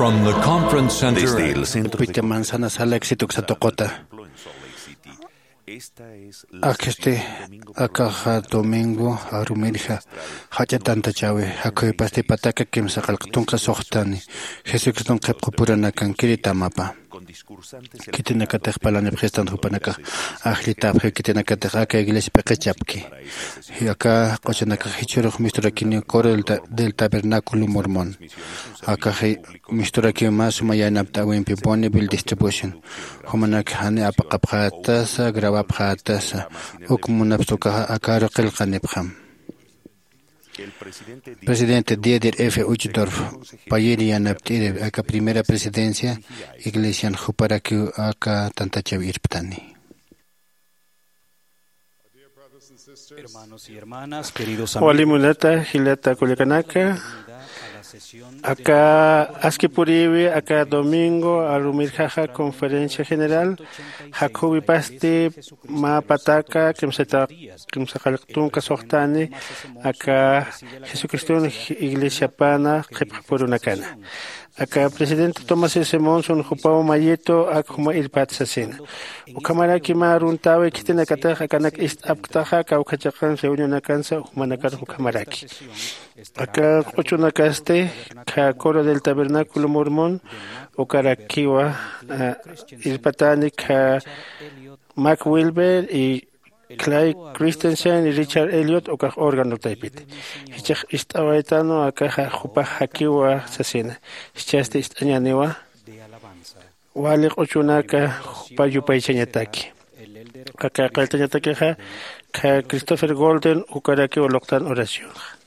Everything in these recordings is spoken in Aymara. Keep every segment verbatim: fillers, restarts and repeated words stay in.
From the conference center. Desde el centro de Pita Manzana Sala Éxito Xatoqota. Esta es la Akhisti, akaxa domingo arumirja jach'a tantachawi, jakhuypasti pataka kimsa qallq tunka suxtani, Jesucriston qhipqupuranakan kiritamapa. Khitinakatix parlanipxistan jupanakax ajllitapxi, khitinakatix aka iglesia p'iqichapki. Aka q'uchunakax jichhürux misturakiniw Coro del Ta-, del Tabernáculo Mormón. Akaxi misturakiw mä suma yanapt'äwimpi Bonneville Distribution. Jumanak jani apaqapxätasa, grabapxätasa, uk munapxta ukaxa akaru qillqanipxam. Presidente Dieter F. Uchtdorf, payïr yanapt'iri aka primera presidencia iglesian, juparakiw aka tantachaw irptani. Hermanos y hermanas, queridos amigos, wali munata, jilata kullakanaka, aka aski purïwi, aka domingo arumirjaxa conferencia general, jakhüwipasti mä pataka kimsata, kimsa qallq tunka suxtani, aka Jesucriston iglesiapana qhipqapurunakana. Aka presidente Thomas S. Monson jupaw mayitu ak juma irpat sasina. Ukhamaraki mä aruntäwi khitinakatix akanak ist'apktaxa kawkha chiqan reunionakansa jumanakar ukhamaraki. Aka q'uchunakasti kha Coro del Tabernáculo Mormón ukarakiwa, ah, irpatani kha Mac Wilber y Clay Christensen y Richard Elliot ukax órgano taypiti. Jichhax ist'awaytanu akaxa jupax jakiwa sasina. Jichhasti ist'añäniwa. Wali q'uchunaka jupa yupaychañataki. Aka qillqañatakixa kha Christopher Golden ukarakiw luqtan oracionxa.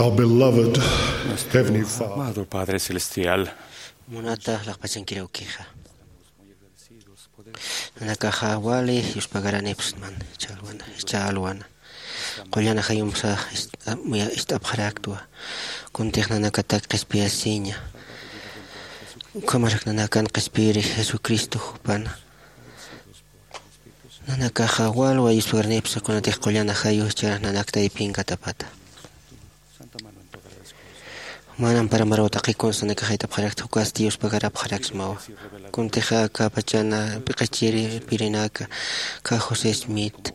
Our beloved Heavenly Father. Amado Padre Celestial. Munata laqpachankiraw kixa. Nanakaxa wali yuspagaranipxsman, ch'alwana, ch'alwana. Qullana jayumsa ist-, muya ist'apxaraktwa. Kuntix nanakatak qhispiyasiña. Ukhamarak nanakan qhispiyiri Jesucristo jupana. Nanakaxa walwa yuspagaranipxsa kunatix qullana jayu jichharax nanak taypin katapata. Juman ampara maraw taqi kunsa nanakax jayt'apxarakta, jukasti yuspagarapxaraksmawa. Kuntixa aka pachana p'iqichiri pirinaka, aka José Smith,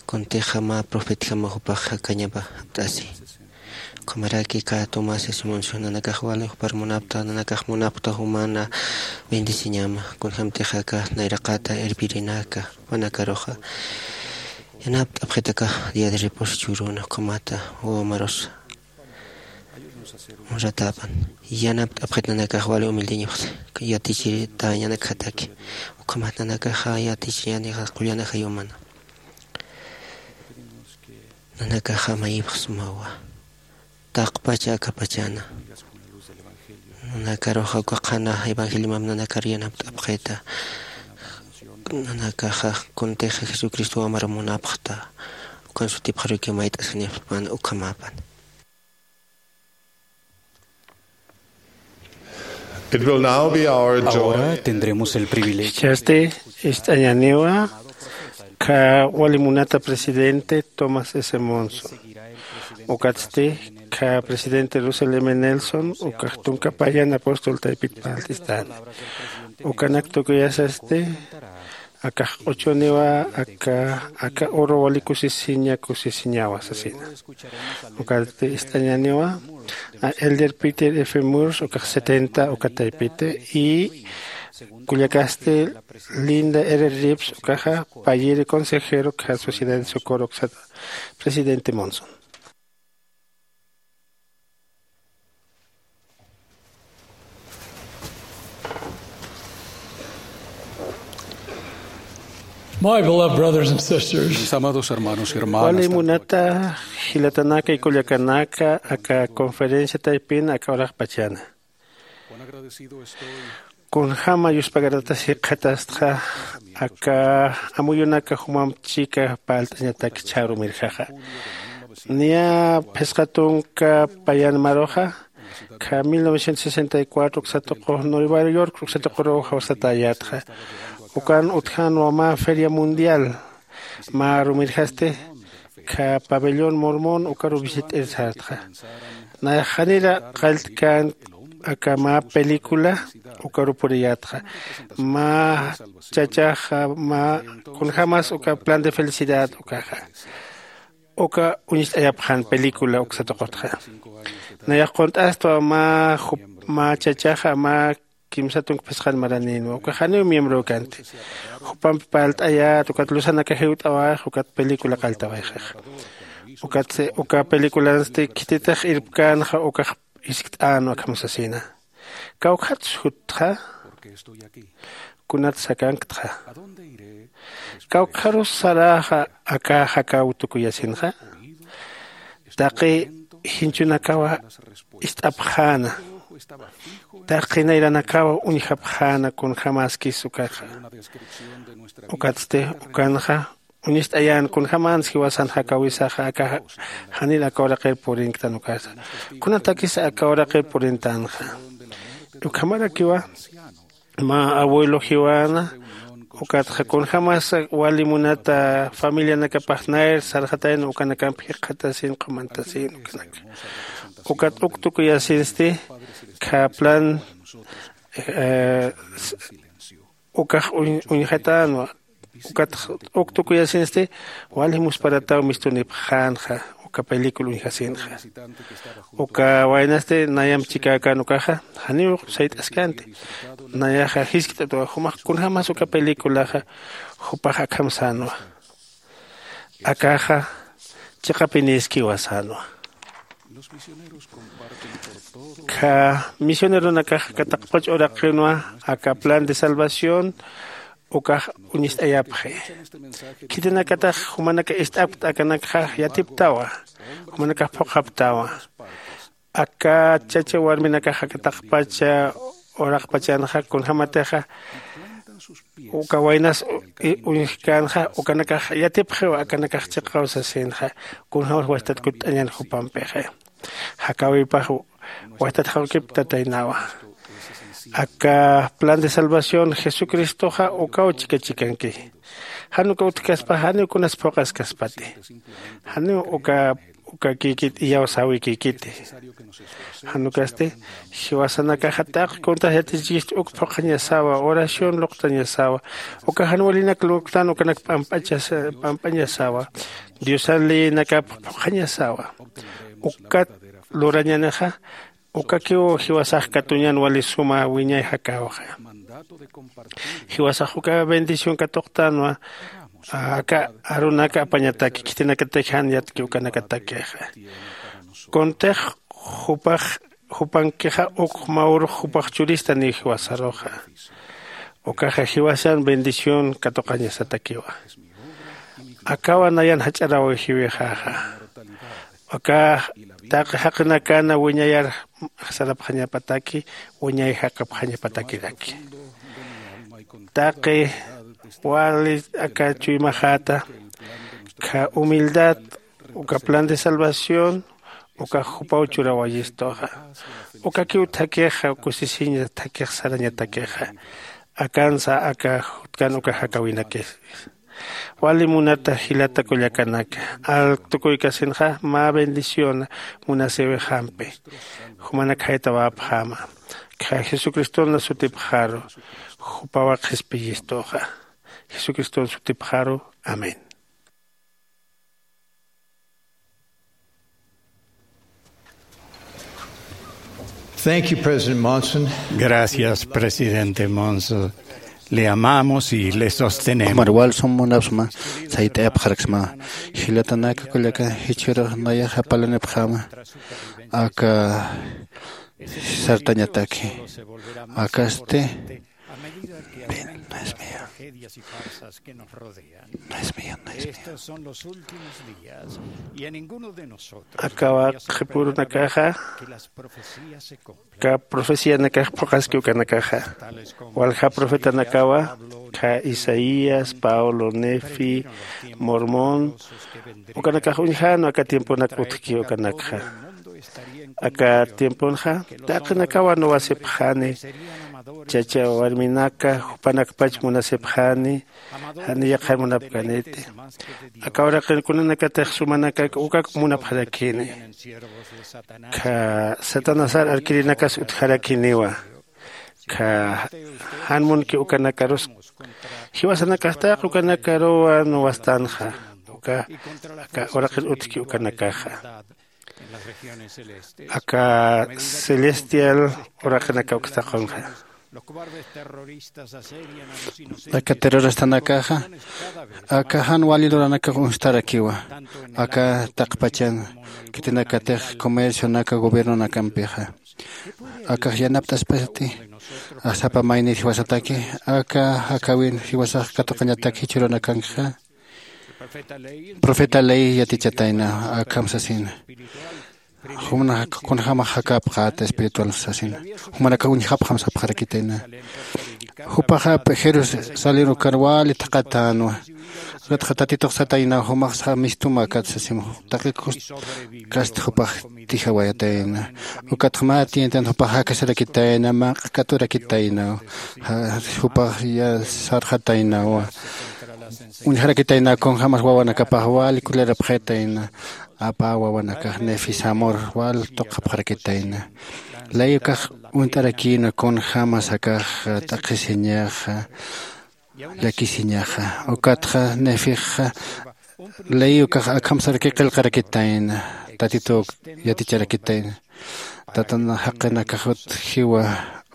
kuntixa mä profetjama jupax jakañapa japt'asi. Ukhamaraki aka Tomás Simonson nanakax wali jupar munapta, nanakax munapta jumana bendeciñama, kunjamtixa aka nayraqata irpirinaka, jupanakaruxa yanapt'apxitaka día de reposo churuna, ukhamata wawa marusa honratäpan. Yanapt'apxit nanakax wali humildeñapxsa, yatichiritañanakjataki. Ukhamat nanakaxa yatichiñanixa qullana jayumana. Nanakaxa mayipxsmawa. Taqpacha akapachana. Nanakaruxa uka qhana evangeliomam nanakar yanapt'apxita. Nanakaxa kuntixa Jesucristo wamar munapxta. Ukan sutipxaruki mayt'asinipxpan ukhamapan. It will now be our joy. Ahora tendremos el privilegio. Jichhasti ist'añaniwa aka wali munata presidente Thomas S. Monson. Ukatsti aka presidente Russell M. Nelson, ukax tunka payan apóstol taypit parlt'istani. Ukanak tukuyasasti akax q'uchuniwa aka, aka oro wali kusisiña, kusisiñawa sasina. Ukatsti ist'añaniwa a Elder Peter F. Moore, ukax setenta uka taypiti, y kullakasti Linda R. Reeves, ukaxa payiri consejero aka Sociedad de Socorro uksata presidente Monson. My beloved brothers and sisters, mis amados hermanos y hermanas, wali munata jilatanaka y kullakanaka, aka conferencia taypin aka uraqpachana. Cuán agradecido estoy. Kunjama yuspagaratasikxatastxa aka amuyunaka jumamp chika parlt'añatak chharumirjaxa. Niya phisqa tunka payan maruxa, aka mil novecientos sesenta y cuatro uksa tuqu Nueva York uksa tuquruw jawsatäyätxa. Ukan utjänwa mä feria mundial, mä arumirjasti aka pabellón Mormón ukaru visit'ir sartxa. Nayax janira qalltkän aka mä película ukaru puriyätxa. Mä chachaxa, mä kunjämas uka plan de felicidad ukaxa. Uka uñst'ayapxän película uksa tuqutxa. Nayax qunt'astwa mä jup-, mä chachaxa, mä kimsa tunka phisqan maranïnwa. Uka janiw miembrow kanti. Jupampi parlt'ayät, ukat luzanaka jiwt'awayxa, ukat película qalltawayxaxa. Ukatsti uka películansti khititix irpkänxa, ukax jiskt'änwa akham sasina. Kawkhat jutxa, kunat sakanktxa. Kawkharus saräxa aka jakaw tukuyasinxa. Taqi jinchunakawa ist'apxäna. Taqi nayranakawa uñjapxäna kunjämaskis ukaxa. Ukatsti ukanxa uñst'ayän kunjämans jiwasan jakawisaxa aka janir aka uraqir purinktan ukasa. Kunatakis aka uraqir purintänxa. Ukhamarakiwa mä abuelo jiwana, ukatxa kunjämas wali munata familianakapax nayr sarxatayna ukanakamp jikxatasin, qhumantasin ukanaka. Ukat uk tukuyasinsti, aka plan, eh, s-, ukax uñ-, uñjatänwa, ukat uk tukuyasinsti, wali musparataw mistunipxänxa, uka película uñjasinxa. Uka waynasti nayamp chikäkän ukaxa, janiw sayt'askänti. Nayaxa jiskt'atwa, jumax kunjämas uka películaxa, jupax akham sänwa. Akaxa chiqapinïskiwa sänwa. Aka misioneronakax aka taqpach uraqinwa aka plan de salvación ukax uñist'ayapxi. Khitinakatax jumanaka ist'apkta akanakxa yatiptawa, jumanakax phuqhaptawa. Aka chacha warminakax aka taqpacha uraqpachanxa kunjämatixa uka waynas uñjkänxa ukanakax yatipxiwa akanakax chiqaw sasinxa. Kunjämas wajtat kutt'añän jupampixa jakäwipax wajtat jawkipktataynawa. Aka plan de salvación jesucristoxa ukaw chikachikanki. Jan uka utjkaspa janiw kunas phuqhaskaspati. Janiw uka ukakïkit iyawsäwikïkiti. Jan ukasti jiwasanakaxa taqi kuntas yatichkist uk phuqhañasawa, oración luqtañasawa. Uka jan walinak luqtan ukanak p'amp'añasawa, diosan leyinakap phuqhañasawa. Ukat lurañänixa ukakiw jiwasax katuñän wali suma wiñay jakäwxa. Jiwasax uka bendición katuqtänwa. Aka arunaka apañataki khitinakatix jan yatki ukanakatakixa. Kuntix jupax jupankixa uk mä urux jupax churistaniw jiwasaruxa. Ukaxa jiwasan bendición katuqañasatakiwa. Akawa nayan jach'aräwijiwixäxa. Aka taqi jaqinakana wiñayar sarapxañapataki, wiñay jaqapxañapatakiraki. Taqi wali aka chuymaxäta kha humildad uka plan de salvación uka jupaw churawayistuxa. Ukakiw thakix kusisiña thakix sarañatakixa. Akansa aka jutkan uka jakäwinakis. Wali munata jilata kullakanaka, alktukuykasinxa mä bendición munasïwixampi. Jumanak jaytawäpxäma kha jesucriston sutipxaru. Jupawa qhispiyistuxa. Jesucriston sutipxaru. Amén. Thank you, President Monson. Gracias, presidente Monson. Le amamos y le sostenemos. Marwal sum munapsma sayt'ayapxaraksma. Jilatanaka kullaka jichhürux nayaxa parlanipxäma aka sartañataki. Akasti. Ven, no es mío. No es mío, no es mío. Akawa qhipürunakaxa aka profecianakax phuqhaski ukanakaxa. Walja profetanakawa kha isaías, pablo, nefi, mormón, ukanakax uñjänwa aka tiemponak utjki ukanakxa. Aka tiemponxa taqinakawa nuwasipxani. Chacha warminaka jupanakpach munasipxani. Jani yaqhar munapkaniti. Aka uraqin kunanakatix sumanakak ukak munapxarakini. Kha satanasar arkirinakas utjarakiniwa. Kha jan munki ukanakarus jiwasanakax taq ukanakaruwa nuwastanxa. Uka aka uraqin utjki ukanakaxa aka celestial uraqinaka ukstaqunxa. Aka terroristanakaxa aka jan wali luranakax uñstarakiwa. Aka taqpachan khitinakatix comercionaka gobiernonakampixa akax yanapt'aspasti. Sapa maynir jiwasataki aka jakäwin jiwasax katuqañatak jichhürunakankixa. Profeta ley yatichatayna akham sasina. Jumanaka kunjämax jakäpxäta espiritual sasina. Jumanaka uñjapxam sapxarakitayna. Jupaxa jerusalén ukar wali thaqhatänwa. Ukatxa tatitux sataynaw jumaxsa mistum akat sasim. Taqi kust kasta jupax tijawayatayna. Ukatxa mä tientan jupax jakasarakitayna mä q'akaturakitaynaw. Jupax sarxataynawa. Uñjarakitayna kunjämas wawanakapax wali kulirapxitayna. Apä wawanakax nefisamor wal tuqapxarakitayna. Ley ukax uñt'arakïna kunjämas akax t'aqhisiñaxa llakisiñaxa. Ukatxa nefixa ley ukax akham saraki qillqarakitayna. Tatituw yaticharakitayna. Tatan jaqinakax utjiwa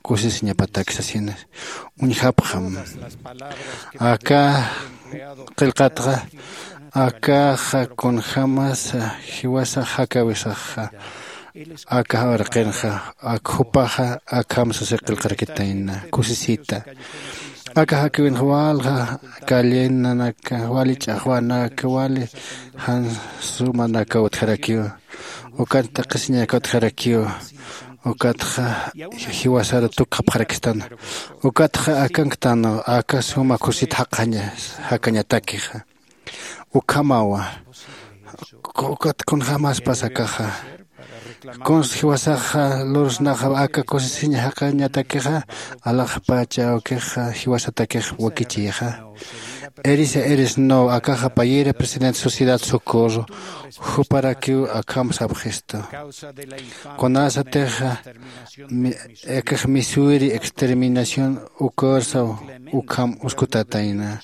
kusisiñapatak sasina. Uñjapxam aka qillqatxa akaxa kunjämasa jiwasax jakäwisaxa. Aka uraqinxa ak jupaxa akham sasi qillqarakitayna kusisita. Aka jakiwinxa walja callenanak, wali ch'axwanak, wali jan sumanak utjarakiw, ukat t'aqhisiñak utjarakiw. Ukatxa jiwasar tukxapxarakistan. Ukatxa akanktan aka suma kusit jaqaña jakañatakixa. Ukhamawa. Ukat kunjämaspas akaxa, kuns jiwasaxa lursnaxa aka kusisiñ jaqañatakixa, alaxpacha awkixa jiwasatakix wakichixa. Erisa eres no akaxa payïri presidente sociedad socorro. Juparakiw akham sapxistu. Kunasatixa akax missouri exterminación ukarsaw ukham uskutatayna.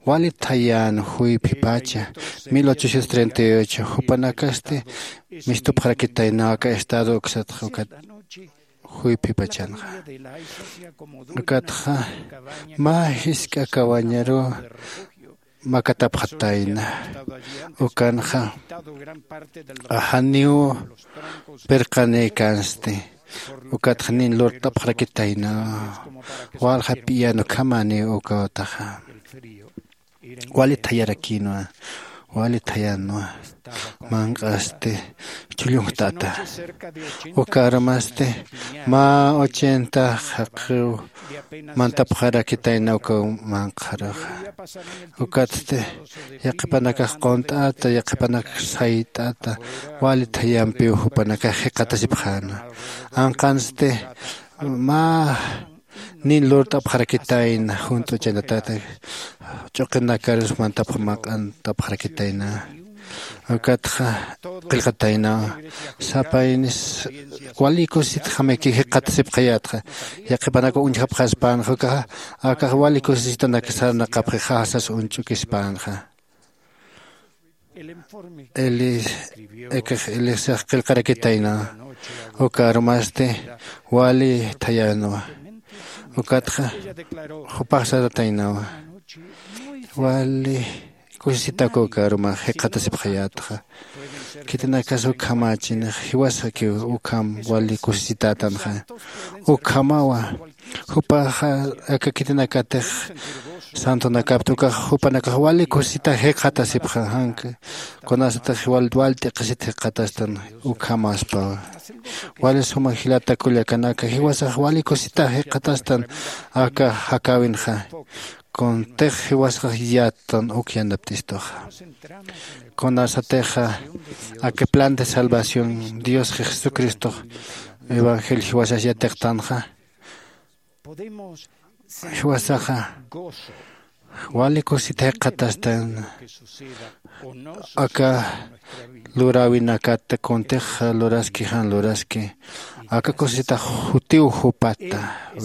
Wali thayän juyphipacha mil ochocientos treinta y ocho jupanakasti mistupxarakitaynaw aka estado uksatxa ukat juyphipachanxa. Ukatxa mä jisk'a kawañaru makatapxatayna. Ukanxa janiw pirqanïkänsti. Ukatxa nin lurt'apxarakitayna. Walja p'iyan ukhamäniw ukawataxa. Wali thayarakïnwa. Wali thayänwa. Manq'asti chhullunjtata. Ukarumasti mä ochenta jaqiw mantapxarakitayna ukaw manq'xaruxa. Ukatsti yaqhipanakax qunt'ata, yaqhipanakax sayt'ata. Wali thayampiw jupanakax jikxatasipxäna. Anqansti mä nin lurt'apxarakitayna junt'uchanatata. Ch'uqinakarus mantapxarakitayna. Ukatxa qillqataynawa. Sapaynis wali kusisitjamaki jikxatasipxayätxa. Yaqhipanakaw uñjapxaspänxa ukaxa akax wali kusisitanak sarnaqapxi jasas uñch'ukispänxa. Eli ekax elisax qillqarakitayna. Ukarumasti wali thayänwa. Ukatxa jupax sarataynawa. Wali kusisitaku ukarumax jikxatasipxayätxa. Khitinakas ukhamächinix jiwasakiw ukham wali kusisitätanxa. Ukhamawa. Jupaxa aka khitinakatix santonakapta ukax jupanakax wali kusisita jikxatasipxa janka. Kunasatix wal wal t'iqisit jikxatastan. Ukhamaspawa. Wali suma jilata kullakanaka jiwasax wali kusisita jikxatastan. Aka jakäwinxa kuntix jiwasax yattan uk yanapt'istuxa. Kunasatixa aka plan de salvación diosxa jesucristox evangelio jiwasax yatiqtanxa. Jiwasaxa wali kusita jikxatastan. Aka luräwinakat kuntix luraski jan luraski aka kusisitax jutiw jupata.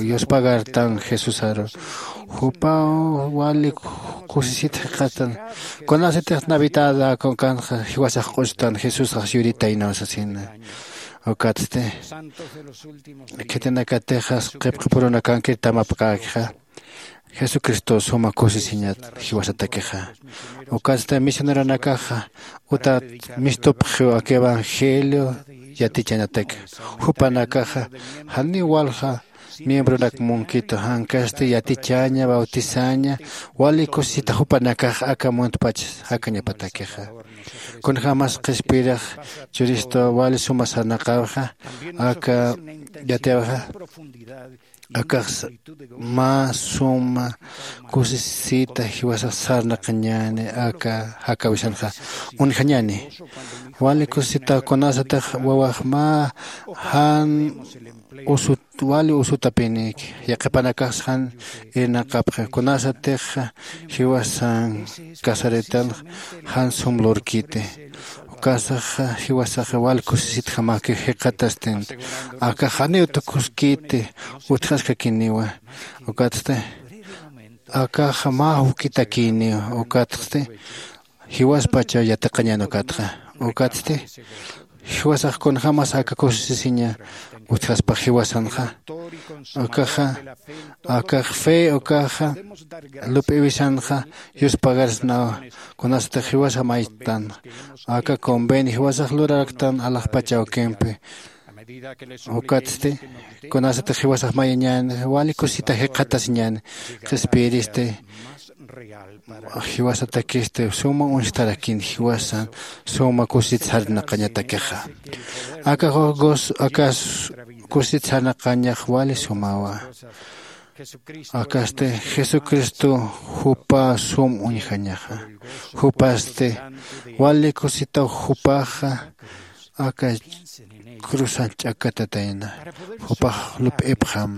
Yuspagartan jesusaru jupaw wali kusisit jikxatastan. Kunasatix navidada kunkanxa jiwasax q'ustan jesusax yuritaynaw sasina. Ukatsti khitinakatixas qhipqipurunakankir tamapkäkixa jesucristo suma kusisiñat jiwasatakixa. Ukatsti misioneronakaxa utat mistupxiw aka evangelio yatichanataki. Jupanakaxa janiw walja miembronak munkitu jankasti yatichaña bautizaña wali kusisita jupanakax aka muntpach jakañapatakixa. Kunjämas qhispiyirix churistu wali suma sarnaqäwixa aka yatiyawixa akax mä suma kusisita jiwasax sarnaqañäni aka jakäwisanxa. Uñjañäni wali kusisita kunasatix wawax mä jan usut wali usutapinïki yaqhipanakax jan irnaqapxi kunasatix jiwasan casaritanx jan sum lurkiti. Ukasaxa jiwasaxa wal kusisitjamäki jikxatastinti. Akax janiw tukuskiti utjaskakiniwa. Ukatsti akaxa mä juk'itakïniwa. Ukatsti jiwaspacha yatiqañän ukatxa. Ukatsti jiwasax kunjämas aka kusisisiña utjaspax jiwasanxa. Akaxa akax fe ukaxa lup'iwisanxa yuspagarsnawa. Kunasatix jiwasa maytan aka convenio jiwasax luraraktan alaxpach awkimpi. Ukatsti kunasatix jiwasax mayañän wali kusita jikxatasiñän qhispiyiristi. Jiwasatakisti suma uñjtarakin jiwasan suma kusit sarnaqañatakixa. Aka jus aka kusit sarnaqañax wali sumawa. Akasti jesucristo jupa sum uñjañaxa. Jupasti wali kusitaw jupaxa aka cruzan ch'akatatayna. Jupax lup'ipxam.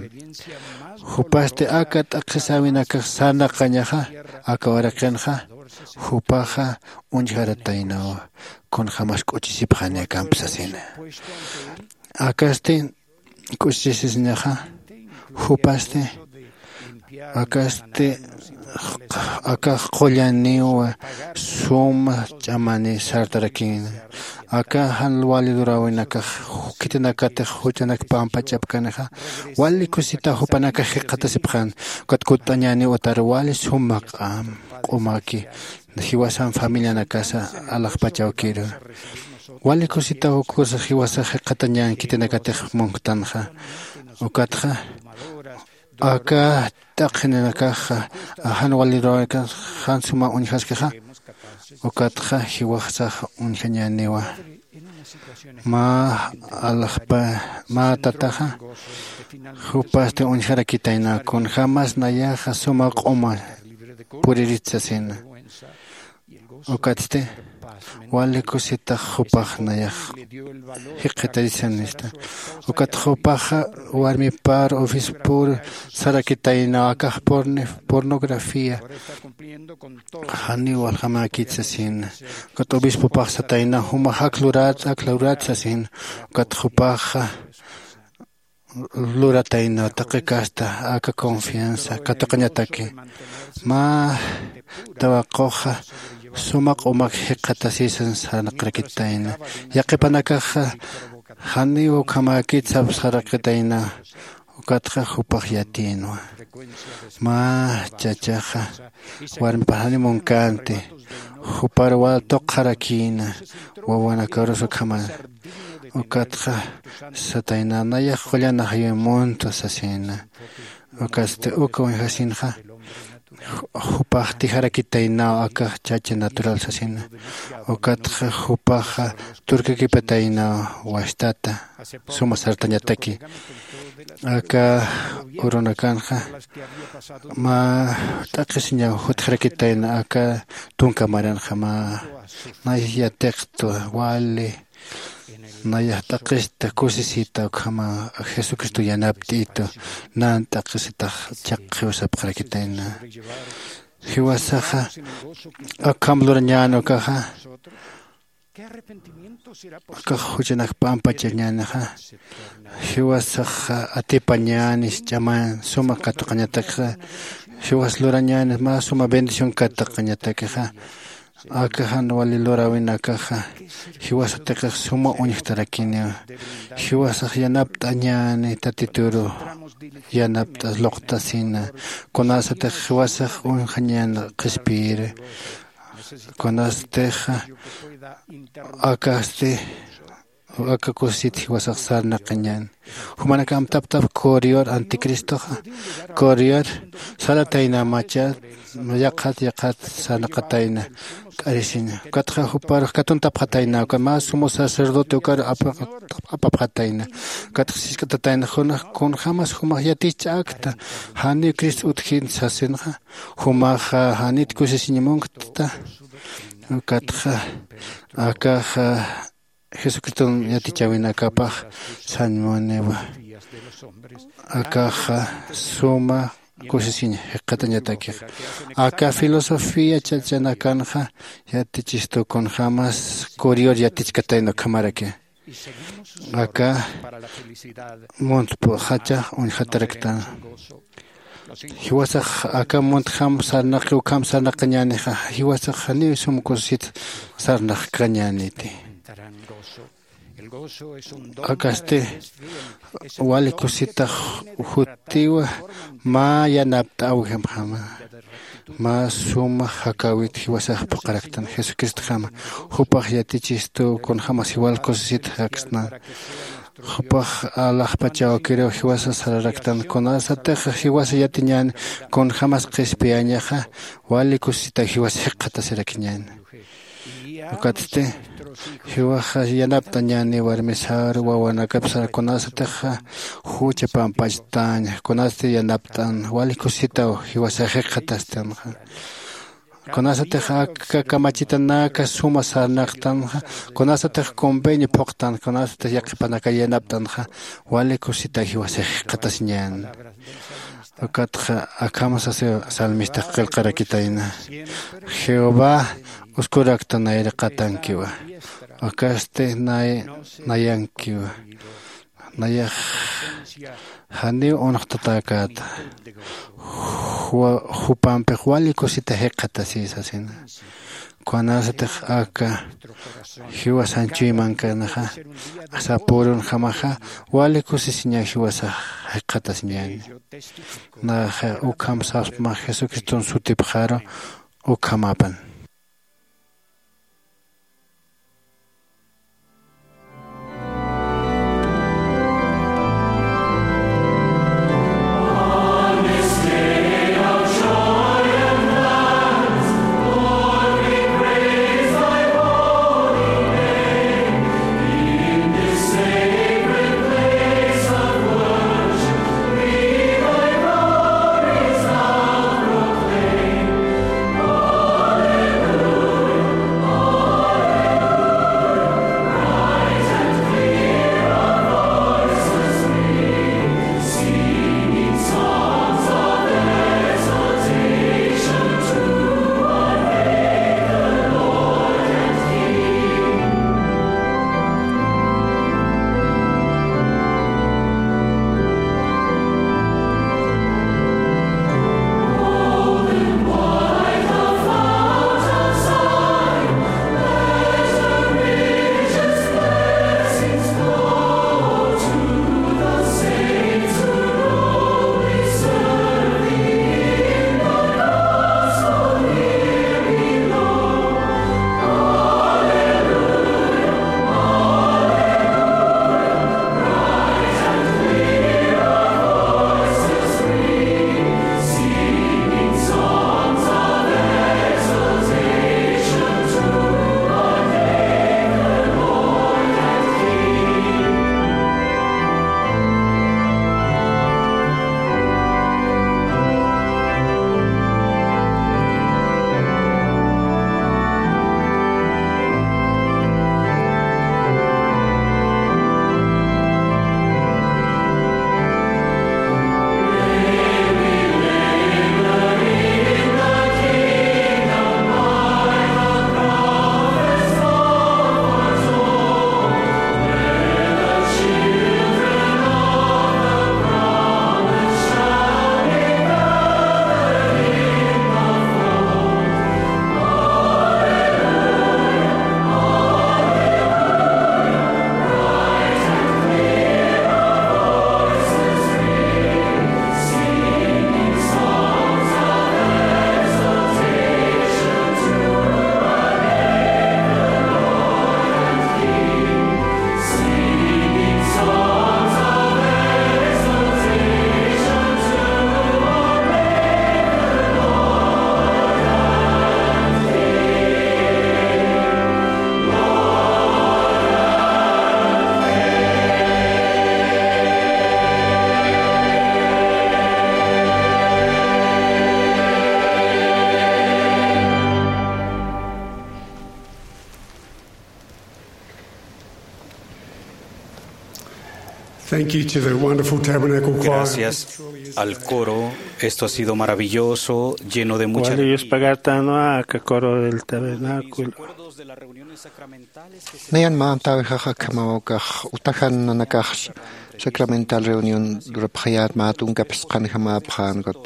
Jupasti aka t'aqhisäwinakax sarnaqañaxa aka uraqinxa. Jupaxa uñjarataynawa. Kunjämas k'uchisipxani akamp sasina. Akasti k'uchisisiñaxa. Jupasti akasti akax qullaniw suma ch'amani sartarakïna. Aka jan wali luräwinakax khitinakatix juch'anak pampa ch'apkanixa wali kusitaw jupanakax jikxatasipxän. Ukat kutt'añäniw utar wali suma q'am q'umaki jiwasan familianakasa alaxpach awkiru. Wali kusitaw ukküsa jiwasax jikxatañän khitinakatix munktanxa. Ukatxa aka t'aqhininakaxa jan wali luräwinakax jan suma uñjaskixa. Ukatxa jiwasax uñjañäniwa. Mä alaxpa mä tataxa jupasti uñjarakitayna kunjämas nayaxa suma q'uma puririt sasina. Ukatsti wali kusitax jupax nayax jikxitarisanista. Ukat jupaxa warmipar ofispur sarakitaynaw akax pornografía. Janiw waljamäkit sasina. Ukat obispopax sataynaw jumax ak lurat ak lurat sasina. Ukat jupaxa lurataynaw taqi kasta aka confianza katuqañataki. Mä tawaquxa suma q'umak jikxatasisan sarnaqarakitayna. Yaqipanakaxa janiw ukhamäkit sapxarakitayna. Ukatxa jupax yatïnwa. Mä chachaxa warmipax janiw munkänti. Jupar wal tuqxarakïna wawanakarus ukhaman. Ukatxa satayna nayax qullan ajayuy munt sasina. Ukatsti uka uñjasinxa jupax tijarakitaynaw aka chacha natural sasina. Ukatxa jupaxa turkakipataynaw wastata suma sartañataki. Aka urunakanxa mä t'aqhisiñaw jutjarakitayna aka tunka maranxa mä nayax yatiqtwa wali nayax t'aqhista kusisita ukhama jesucristo yanapt'itu nan t'aqhisitax chaqqiw sapxarakitayna. Jiwasaxa akham lurañän ukaxa akax juchanak pampachañänixa. Jiwasaxa atipañänis ch'aman suma katuqañatakxa. Jiwas lurañänis mä suma bendición katuqañatakixa. Aka jan wali luräwinakaxa jiwasatix suma uñjtarakiniwa. Jiwasax yanapt'añäni tatituru yanapt'as luqtasina. Kunasatix jiwasax uñjañän qhispiyiri kunastix akasti aka kusit jiwasax sarnaqañän. Jumanak amtaptap korior anticristoxa korior salatayna macha yaqhat yaqhat sarnaqatayna k'arisiña. Ukatxa juparux katuntapxatayna uka mä sumo sacerdote ukar apapxatayna. Ukatxa sisk'atatayna junax kunjämas jumax yatich'akta janiw cristo utjin sasinxa. Jumaxa janit kusisiñ munkta. Ukatxa akaxa jesucriston yatichäwinakapax sañmuniwa. Akaxa suma kusisiñ jikxatañatakixa. Aka filosofía chachanakanxa yatichistu kunjämas korior yatichkatayna ukhamaraki. Aka muntp'uxachax uñjataraktan. Jiwasax aka muntjam sarnaqi ukham sarnaqañänixa. Jiwasax janiw sum kusit sarnaqkañäniti. Akasti wali kusitax jutiwa mä yanapt'äwjamjama. Mä suma jakäwit jiwasax phuqharaktan jesucristjama. Jupax yatichistu kunjämas jiwal kusisit jaksna. Jupax alaxpachaw kiriw jiwasa sararaktan, kunasatix jiwasa yatiñän kunjämas qhispiyañaxa, wali kusisita jiwasa jikxatasirakiñän. Ukatsti jiwaxa yanapt'añäni warmisar wawanakapsar, kunasatixa jucha pampachtaña, kunasti yanapt'an wali kusisitaw jiwasa jikxatastanxa. Kunasatix aka kamachitanaka suma sarnaqtanxa, kunasatix convenio phuqtan, kunasatix yaqhipanaka yanapt'anxa, wali kusita jiwasa jikxatasiñän. Ukatxa akham sasi salmistax qillqarakitayna: Jehová uskurakta nayraqatankiwa, ukasti nay nayankiwa. Nayax janiw unxtatäkäta, juwa jupampix wali kusita jikxatasï sasina. Kunasatix aka jiwasan chuymankanaxa, sapürunjamaxa, wali kusisiña jiwasax jikxatasiñäni. Naxa ukham sapsma Jesucriston sutipxaru, ukhamapan. Thank you to the wonderful Tabernacle Choir. Gracias al coro. Esto ha sido maravilloso, lleno de mucha... Wali yuspagartanwa aka coro del tabernáculo. Nayan mä amtäwixax akhamaw ukax utajan nanakax sacramental reunión lurapxayät mä tunka phisqanjamäpxän ukat.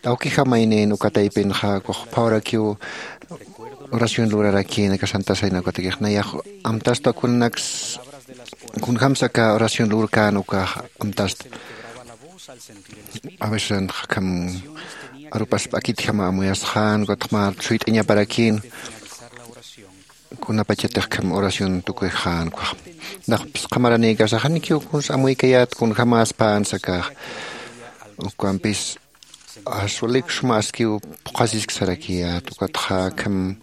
Awkijamaynïn uka taypinxa, ukax phawarakiw oración lurarakïn aka Santa Cena ukatakix. Nayax amtasta kunanaks, kunjams aka oración lurkän ukax amtasta. A veces akham arupas p'akitjama amuyasxän, ukatxa mä suyt'añaparakïn. kunapachatix kham oración tukuyxän ukax. Nax phisqamaranïkasaxa nikiw kuns amuykayät kunjämäspän sakax. Ukampis aswalik suma askiw phuqhasisk sarakiyät ukatxa kham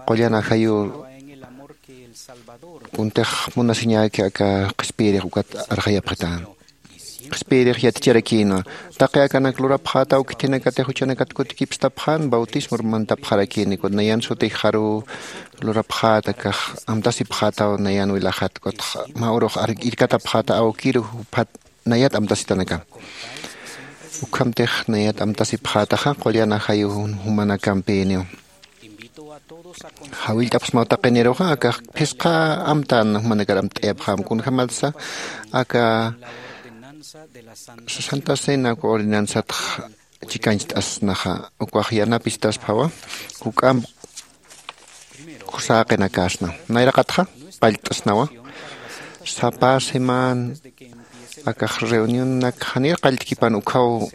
qullan ajayu kuntix munasiñäki aka qhispiyirix ukat arxayapxitän. Qhispiyirix yaticharakïnwa taqi akanak lurapxätaw khitinakatix juchanakat kutikipstapxän bautismor mantapxarakïni ukat nayan sutix jaruw lurapxäta akax amtasipxätaw nayan wilaxat ukatxa mä urux irkatapxäta awkiru juphat nayat amtasitanaka. Ukhamtix nayat amtasipxätaxa qullan ajayu jumanakampïniw. Jawillt'apxsmaw taqiniruxa akax phisqa amtän jumanakar amtt'ayapxäm kunjämatsa aka santa cena uka ordenansatx chikañcht'asnaxa ukax yanapistasphawa juk'amp kusäqinakäsna. Nayraqatxa qallt'asnawa sapa semana akax reunionak janir qalltkipan ukhaw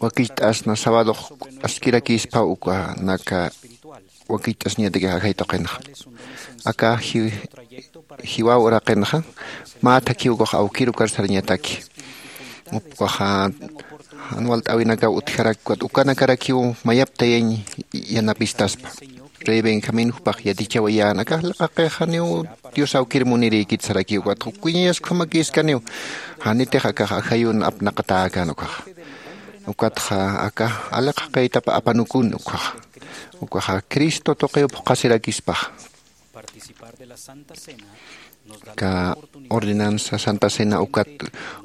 wakicht'asna sabadox askirakïsphaw ukanaka wakicht'asñatakix ajay tuqinxa. Aka jiwaw uraqinxa mä thakhiw ukax awkir ukar sarañataki. Ukaxa jan walt'äwinakaw utjarak ukanakarakiw mayaptayañ yanapistaspa. Rey benjamín jupax yatichawayän akax liqaqix janiw dios awkir munirïkit sarakiw ukatxa ukkuñayas ukhamakïskaniw. Janitix akax ajayun apnaqatäkän ukaxa ukatxa aka aliqaqïtap apanukun ukaxa ukaxa cristo tuqiw phuqhasirakispaxa. Aka ordenanza santa cena ukat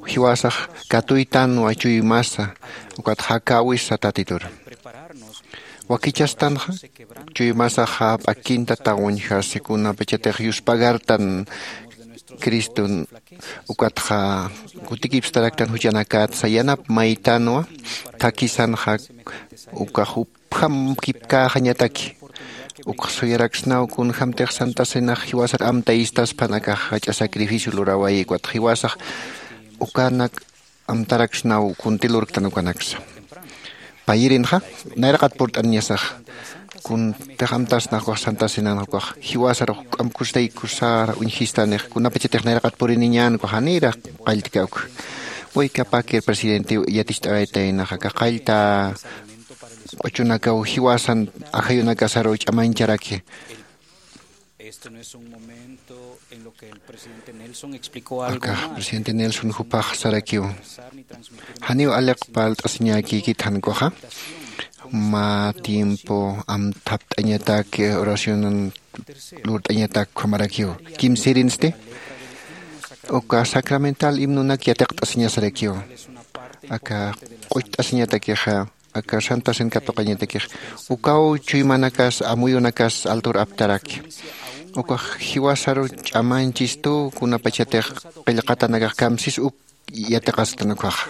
jiwasax katuytanwa chuymasa ukat jakäwisa tatitur wakichastanxa. Chuymasaxa p'akinta tawañjasi kunapachatix yuspagartan criston ukatxa kutikipstaraktan juchanakätsa yanap maytanwa thakhisanxa ukax jupjam kipkäxañataki. Ukx suyaraksnaw kunjämtix santa cenax jiwasar amtayistaspan akax jach'a sacrificio lurawayïkwa jiwasax ukanak amtaraksnaw kunti lurktan ukanaksa. Payirinxa nayraqat purt'aniñasax kuntix amtasnax ukax santa cenanxa ukax jiwasar juk'amp kusatay kusar uñjistanix kunapachatix nayraqat puriniñän ukax janïra qalltkä ukxa. Waykapakir presidentiw yaticht'awaytaynaxa aka qallta q'uchunakaw jiwasan ajayunakasaruw ch'amañcharaki. Akax presidente nelson jupax sarakiw janiw aliq parlt'asiñäkïkit jan ukaxa mä tiempo amthapt'añatak oracionan lurt'añatak ukhamarakiw. Kimsirinsti uka sacramental himnonak yatiqt'asiñasarakiw aka q'ucht'asiñatakixa aka santa cena katuqañatakix ukaw chuymanakas amuyunakas altur aptaraki. Ukax jiwasaru ch'amañchistu kunapachatix qillqatanakax kamsis uk yatiqastan ukaxa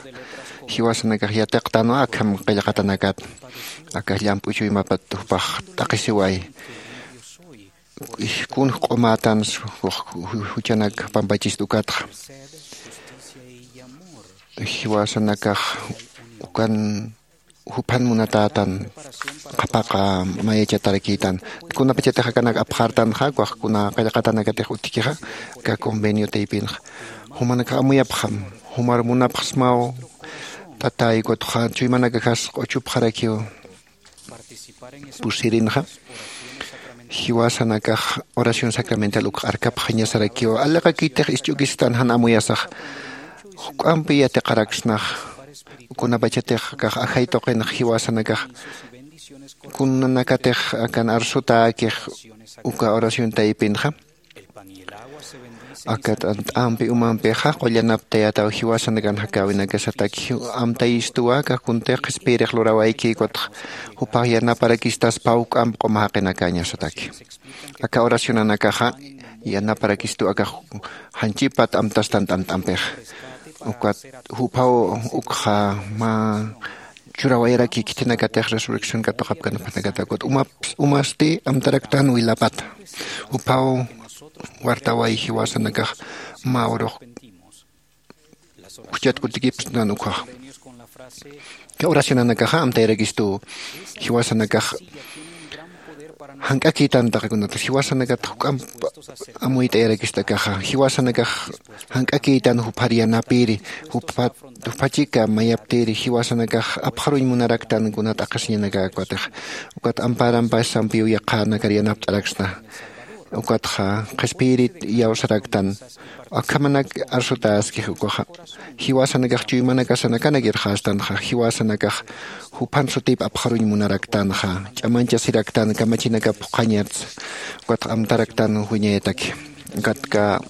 jiwasanakax yatiqtanwa akham qillqatanakat. Akax llamp'u chuymapat jupax t'aqhisiway kunx q'umätan juchanak pampachist ukatxa jiwasanakax ukan juphan munatätan qhapaq mayachatarakïtan. Kunapachatix akanak apxartanxa ukax kuna qillqatanakatix utjkixa aka convenio taypinxa jumanakax amuyapxam jumar munapxsmaw. Tatäy ukatxa chuymanakaxas q'uchupxarakiw pusirinxa jiwasanakax oración sacramental ukx arkapxañasarakiw aliqakïtix isch'ukistan jan amuyasax juk'ampi yatiqaraksnax kunapachatix akax ajay tuqinx jiwasanakax kunanakatix akan arsutäkix uka oración taypinxa aka t'ant'ampi umampixa qullanaptayataw jiwasanakan jakäwinakasataki amtayistuwa aka kuntix qhispiyirix lurawayki ukatxa jupax yanaparakistasphaw juk'amp q'uma jaqinakäñasataki. Aka oracionanakaxa yanaparakistuw akax janchipat amtastan t'ant'ampixa ukat juphaw ukxa mä churawayaraki khitinakatix resurrección katuqapkanapxanakata ukat umasti amtaraktan wilapata juphaw wartaway jiwasanakax mä urux juchat kutikipsnan ukhax. Oracionanakaxa amtayarakistuw jiwasanakax Jank'akïtan taqi kunatix jiwasanakat juk'amp amuyt'ayarakist'akaxa jiwasanakax jank'akïtan juphar yanapiri juphat jupha chika mayaptiri jiwasanakax apxaruñ munaraktan kuna t'aqhisiñanakakatix ukat amparampassampiw yaqhanakar yanapt'araksna. Ukatxa qhispiyirit iyawsaraktan akhamanak arsutäskix ukaxa jiwasanakax chuymanakasan akanak irxastanxa jiwasanakax juphan sutip apxaruñ munaraktanxa ch'amanchasiraktan kamachinakap phuqhañatsa. Ukatxa amtaraktan wiñayataki ukatka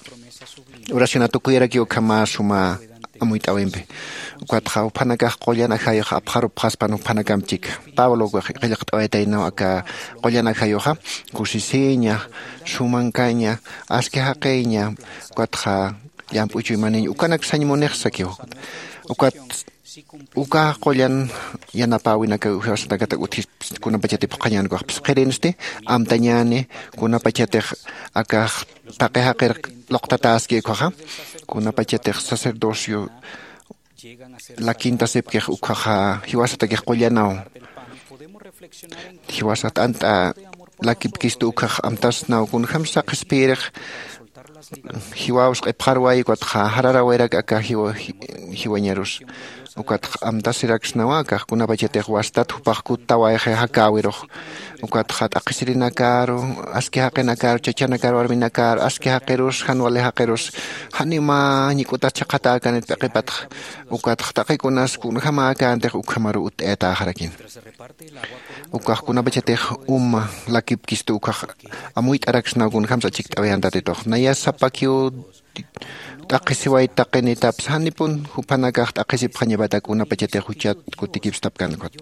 oracionat ukuyarakiw ukhama suma amuyt'äwimpi. Ukatxa juphanakax qullan ajayux apxarupxaspan juphanakamp chika pablo qillqt'awaytaynaw aka qullan ajayuxa kusisiña sumankaña aski jaqiña ukatxa llamp'u chuymaniñ ukanak sañ munix sakiw. Ukat uka qullan yanapäwinaka jiwasanakatak utjisp kunapachatip phuqhañänkax phisqirinsti amtañäni kunapachatix akax taqi jaqir luqtatäski ukhaxa kunapachatix sacerdocio lakintasipkix ukhaxa jiwasatakix qullanaw jiwasat ant'a lakipkistu ukhax amtasnaw kunjämsa qhispiyirix jiwaws q'ipxarwayi ukatxa jararawirak aka jiwañarus ukatxa amtasiraksnawa akax kunapachatix wastat jupax kuttawayxi jakäwirux ukatxa t'aqhisirinakaru aski jaqinakaru chachanakar warminakar aski jaqirus jan wali jaqirus janiw mä ñik'utas chhaqhatäkanit p'iqipatxa ukatxa taqikunas kunjämäkäntix ukhamaruw utt'ayatäxarakina. Ukax kunapachatix uma lakipkistu ukax amuyt'araksnaw kunjämsa achikt'awayän tatitux naya sapakiw t'aqhisiwayt taqinitapsa janipun juphanakax t'aqhisipxañapatak kunapachatix juchat kutikipstapkän ukat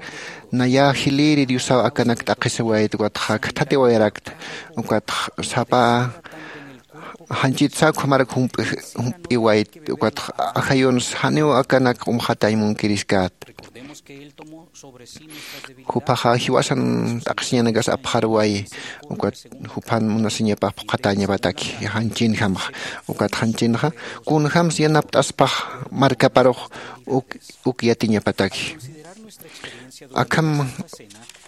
naya jilïri diosaw akanak t'aqhisiwayt ukatxa khathatiwayarakta ukatxa sapa janchitsa ukhamarak jump'iwayt ukatxa ajayunsa janiw akanak q'umxatañ munkiriskäta. Juphaxa jiwasan t'aqhisiñanakas apxarwayi ukat juphan munasiñapax phuqhatäñapataki janchinjamxa ukat janchinxa kunjämsa yanapt'aspax markaparux uk uk yatiñapataki. Akham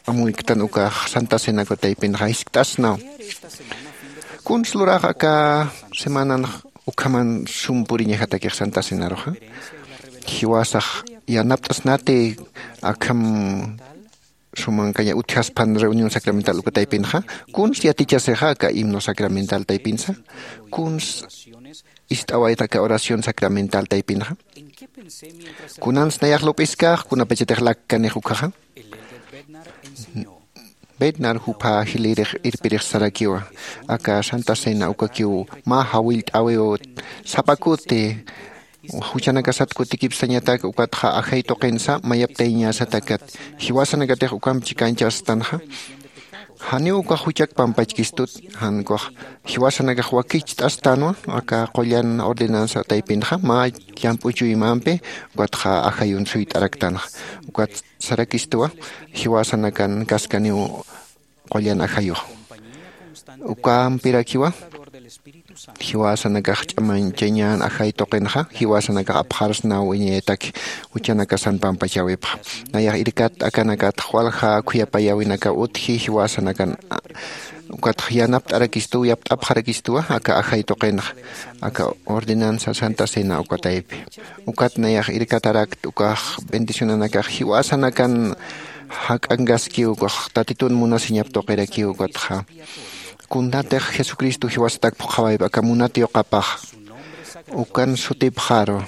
amuyktan ukax santa cena uka taypinxa jiskt'asnaw. Kuns lurax aka semananx ukhaman sum puriñajatakix santa cenaruxa jiwasax yanapt'asnati akham sumankaña utjaspan reunión sacramental uka taypinxa kuns yatichasixa aka himno sacramental taypinsa kuns ist'awayta aka oración sacramental taypinxa kunans nayax lup'iskax kunapachatix lakkanix ukhaxa. Bednar jupha jilïrix irpirix sarakiwa aka santa cena ukakiw mä jawillt'äwiw sapa kuti juchanakasat kutikipsañatak ukatxa ajay tuqinsa mayaptayañäsatakat jiwasanakatix ukamp chikañchastanxa. Janiw ukax juchak pampachkistut jan ukax jiwasanakax wakicht'astanwa aka qullan ordenansa taypinxa mä llamp'u chuymampi ukatxa ajayun suyt'araktanxa ukat sarakistuwa jiwasanakan kaskaniw qullan ajayux ukampirakiwa jiwasanakax ch'amañchañän ajay tuqinxa jiwasanakax apxarsnaw wiñayataki juchanakasan pampachäwipxa. Nayax irkat akanakatx walja khuyapayäwinakaw utji jiwasanakan ukatx yanapt'arakistuw yapt'apxarakistuwa aka ajay tuqinxa aka ordenanza santa cena uka taypi. Ukat nayax irkatarakt ukax bendicionanakax jiwasanakan jak'ankaskiw ukax tatitun munasiñap tuqirakiw ukatxa kunatix jesucristo jiwasatak phuqhawayp aka munat yuqapax ukan sutipxaru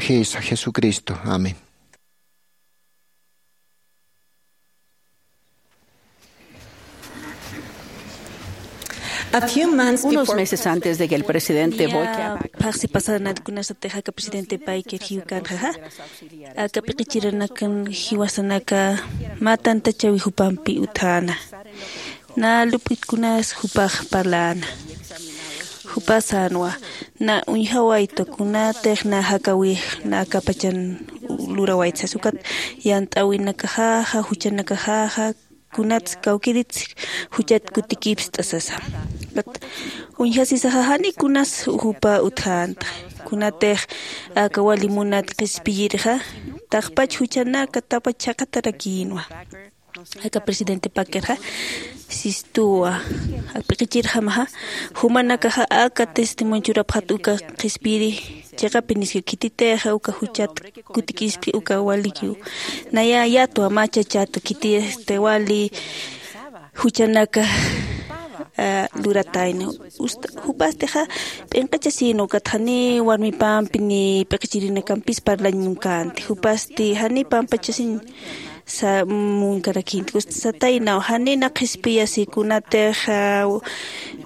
jisa jesucristo. Amén. Unos meses antes de que el presidente Boyka phaxsi pasanat kunasatix aka presidente Payker jiwkanxaxa aka p'iqichiranakan jiwasanaka mä tantachawi jupampi utjäna. Na lup'itkunas jupax parläna jupa sänwa na uñjawayta kunatix na jakawix na akapachan lurawayta sas ukat yant'äwinakaxaxa juchanakaxaxa kunats kawkïritsi juchat kutikipst'a sasa. Uñjasisaxa jani kunas jupa utjänta kunatix aka wali munat qhispiyirixa taqpach juchanaka tapach chhaqatarakïnwa. Aka presidente Packerxa sistuwa p'iqichirjamaxa, jumanakaxa aka testimonio churapxat uka qhispiyiri chiqapi niska khititix uka juchat kutikispi uka walikiw. Naya yatwa mä chachatu khiti este wali juchanaka luratayna. Jupastixa p'inqachasin ukat jani warmipampi ni p'iqichirinakampis parlañ munkänti. Jupasti jani pampachasin munkarakinti. Sataynaw janina qhispiyasi kunatix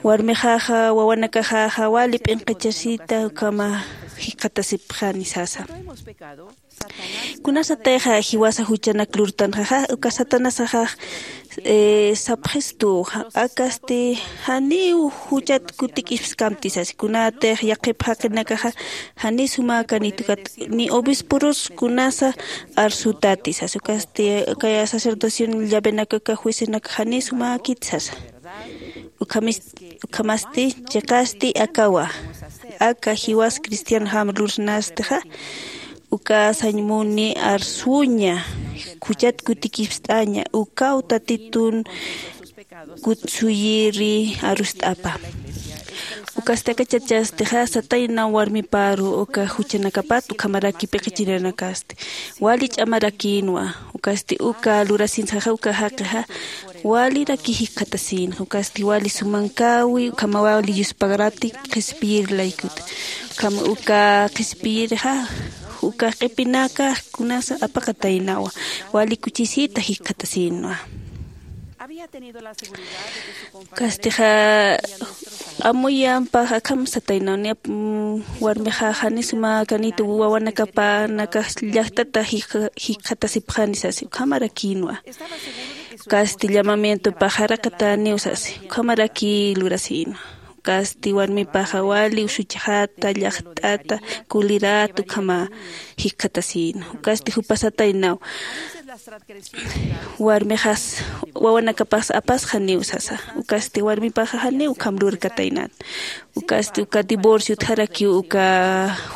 warmixaxa wawanakaxaxa wali p'inqachasita ukhama jikxatasipxani sasa. Kunasatixa jiwasa juchanak lurtanxaxa uka satanasaxax sapxistuxa akasti janiw juchat kutik'ipskamti sasi. Kunatix yaqhip jaqinakaxa jani suma kanitukat ni obisporus kunasa arsutati sasi. Ukasti kaya sacerdoción llavenakaka juecenaka jani sumakit sasa. Ukhamasti chiqasti akawa aka jiwas cristianjam lurnastixa uka sañmuni arsuña juchat kutikipst'aña ukaw tatitun kutsuyiri arust'apa. Ukasti aka chachastixa sataynaw warmiparu uka juchanakapat ukhamaraki p'iqichirinakasti wali ch'amarakïnwa. Ukasti uka lurasinsaxa uka jaqixa waliraki jikxatasïnxa ukasti wali sumankäwi ukhama wali yuspagarati qhispiyir laykuta. Ukhama uka qhispiyirxa uka q'ipinaka kunasa apaqataynawa wali kuchisita jikxatasïnwa. Kastixa amuyampax akham sataynaw niya warmixa jani suma kanita wawanakapanakax llaqtata jikxatasipxani sasi ukhamarakïnwa. Kasti llamamientopax jaraqatäniw sasi ukhamaraki lurasïnwa. Kasti warmipaxa wali usuchxata llaqt'ata kulirata ukhama jikxatasïnwa. Kasti jupasataynaw warmixas wawanakapaxsa apasxaniw sasa. Ukasti warmipaxa janiw ukham lurkataynat. Ukasti uka divorcio utjarakiw uka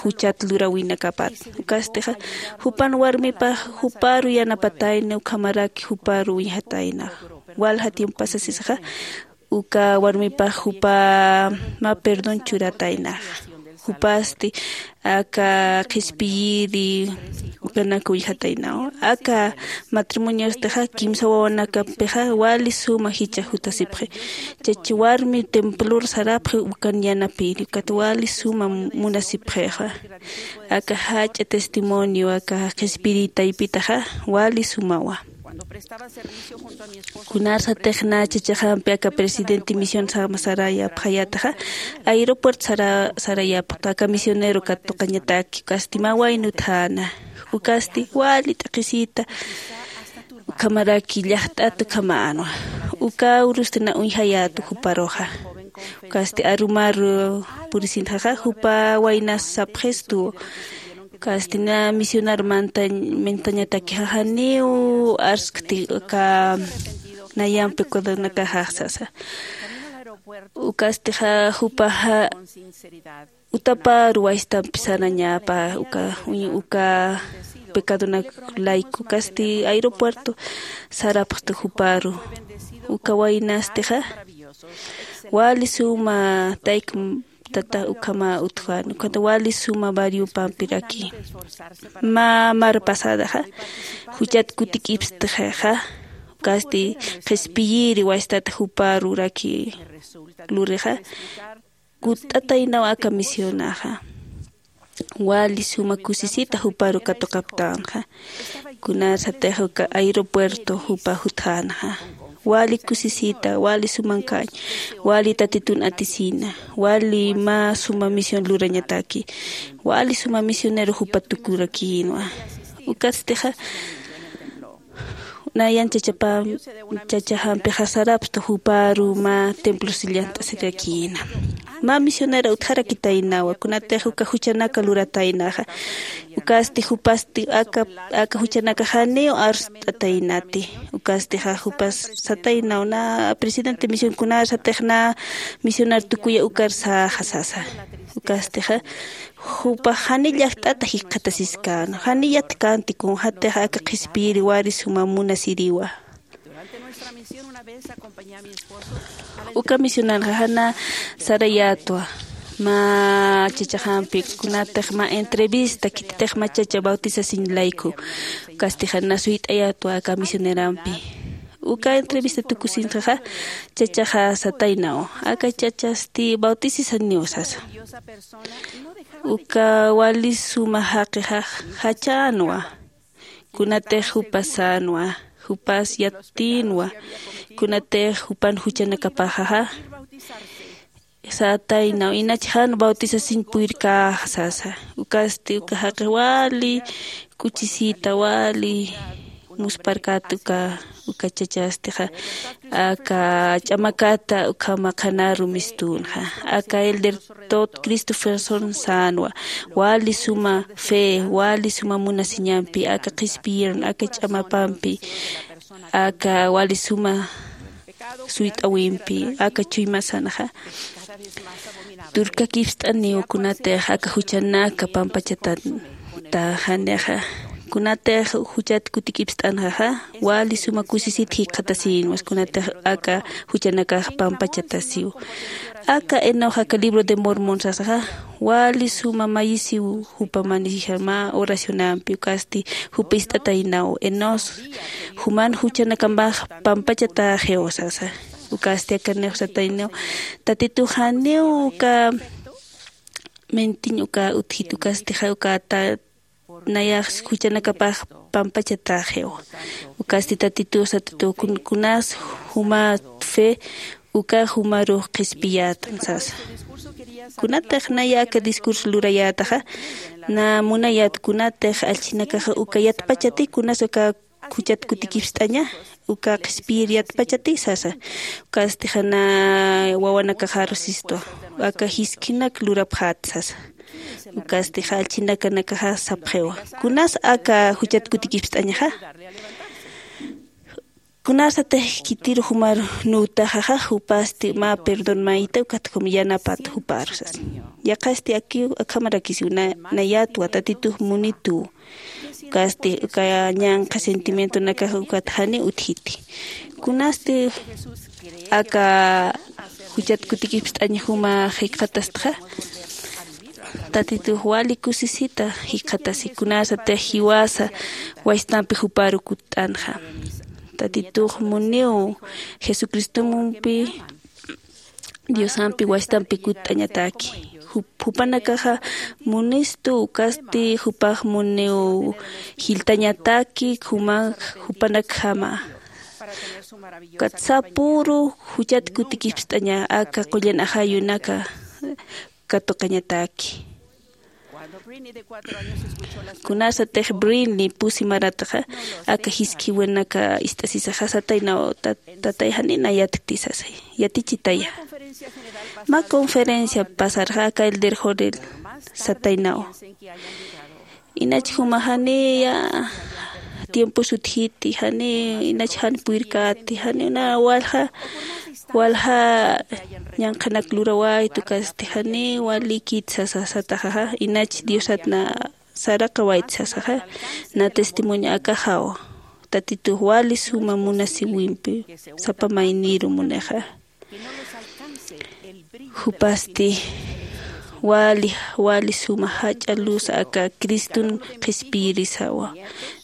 juchat lurawinakapat. Ukastixa jupan warmipax juparu yanapatayna ukhamaraki juparu uñjataynax. Walja tiempo pasasisaxa uka warmipax jupa mä perdón churataynaxa. Jupasti aka qhispiyiri ukanak uñjataynaw aka matrimoniastixa kimsa wawanakampixa wali suma jichha jutasipxi. Chach warmi templor sarapxi ukan yanapiri ukat wali suma munasipxixa. Aka jach'a testimonio aka qhispiri taypitaxa wali sumawa. Kunarsatix na chachaxampi aka presidente misión sama sarayapxayataxa aeropuerto sarayapxta aka misionero katuqañataki ukasti mä wayna utjäna. Ukasti wali t'aqhisita ukhamaraki llaqt'at ukhamänwa. Uka urustina uñjayätu juparuxa. Ukasti arumaru purisinxaxa jupa waynas sapxistu. Ukasti na misionar mantañatakixa janiw arskti uka nayampi kudunakaxax sasa. Ukastixa jupaxa utaparu waystampi sarañapa uka uñi uka pecadonak layku ukasti aeropuerto sarapxtu juparu. Uka waynastixa wali suma tayk tata ukhama utjani ukhata wali suma barriopampiraki. Mä mar pasadaxa juchat kutik'ipstixixa ukasti qhispiyiri waystat juparuraki lurixa kutt'ataynaw aka misionaxa. Wali suma kusisita juparu katuqaptänxa. Kunarsatix uka aeropuerto jupa jutjänxa wali kusisita wali sumankañ wali tatitun atisina wali mä suma misión lurañataki. Wali suma misionero jupa tukurakïnwa. Ukastixa nayan chachapam chachaxampixa sarapstu juparu mä templosi llant'asirakïna. Mä misionera utjarakitaynawa kunatix uka juchanaka lurataynaxa. Ukasti jupasti aka aka juchanakaxaniw arst'ataynati. Ukastixa jupas sataynaw na presidente misión kunarsatix na misionar tukuya ukar saxa sasa. Ukastixa jupax jani llaqt'ata jikxatasiskäna jani yatkänti kunxatix aka qhispiyiri wari suma munasiriwa. Uka misionanxa jana sarayätwa mä chachaxampi, kunatix mä entrevista khititix mä chacha bautisasiñ layku. Ukasti jana suyt'ayätwa aka misionerampi. Uka entrevista tukusinxaxa chachaxa sataynaw, aka chachasti bautisisaniw sasa. Uka wali suma jaqixa jachänwa. Kunatix jupas sänwa, jupas yattinwa, kunatix jupan juchanakapaxaxa sataynaw, inach jan bautisasiñ puyirkäxa sasa. Ukasti uka jaqix wali k'uchisita, wali muspharkät uka, uka chachastixa aka ch'amakata ukhama qhanaru mistünxa. Aka elder Todd Christofferson sänwa, wali suma fe, wali suma munasiñampi aka qhispiyirun, aka ch'amapampi, aka wali suma suyt'awimpi, aka chuymasanxa turkakipst'aniw kunatix aka juchanaka pampachatatänixa. Kunatix juchat kutikipst'anxaxa wali suma kusisit jikxatasïnwas, kunatix aka juchanakax pampachatasiw. Aka Enox aka libro de Mormon sasaxa wali suma mayisiw jupamanisa mä oracionampi, ukasti jupa ist'ataynaw, Enos, juman juchanakamax pampachatäxiw sasa. Ukasti aka Enox sataynaw, Tatitux janiw uka mintiñ uka utjit, ukastixa uka ta nayax juchanakapax pampachatäxiw. Ukasti Tatitux satatuw, kun- kunas jumat fe, uka jumarux qhispiyätam sasa. Kunatix naya aka discurso lurayätaxa, na munayät kunatix allchhinakaxa uka yatpachati, kunas uka juchat kutikipst'aña, uka qhispiyir yatpachati sasa. Ukasti jana wawanakaxaru sistwa, aka jiskhinak lurapxät sasa. Ukasti allchhinakanakaxa sapxiwa, kunas aka juchat kutikipst'añaxa, kunasatix khitiru jumar nütaxaxa, jupasti mä perdón mayta, ukat jum yanapat juparu sasa. Yaqhasti akiw akhamarakisiw, na- nayätwa, Tatitux munituw. Ukasti uka ñanqha sentimientonakaxa ukat janiw utjiti. Kunasti aka juchat kutikipst'añ juma jikxatastxa, Tatitux wali kusisita jikxatasi, kunasatix jiwasa wastampi juparu kutt'anxa. Tatitux muniw Jesucristompi, Diosampi wastampi kutt'añataki. Jup- jupanakaxa munistu, ukasti jupax muniw jiltañataki, juma- jupanakjama. Ukat sapüru juchat kutikipst'aña aka qullan ajayunaka katuqañataki. Kunasatix Brinley pusi marataxa, aka jiskhiwinaka ist'asisaxa sataynaw, tat- tatay janiw nayätkti sasay, yatichitaya. Mä conferencia pasarxa aka elder Jorel sataynaw, inach juma janiya tiempos utjiti, jani inach jan puyirkäti, jani una walja, walja ñanqhanak lurawayt, ukasti jani walikit sasa sataxaxa, inach Diosat na saraqawayt sasaxa, na testimonio akaxaw, Tatitux wali suma munasiwimpi, sapa mayniru munixa. Jupasti wali, wali suma jach'a luz aka Criston qhispiyirisawa.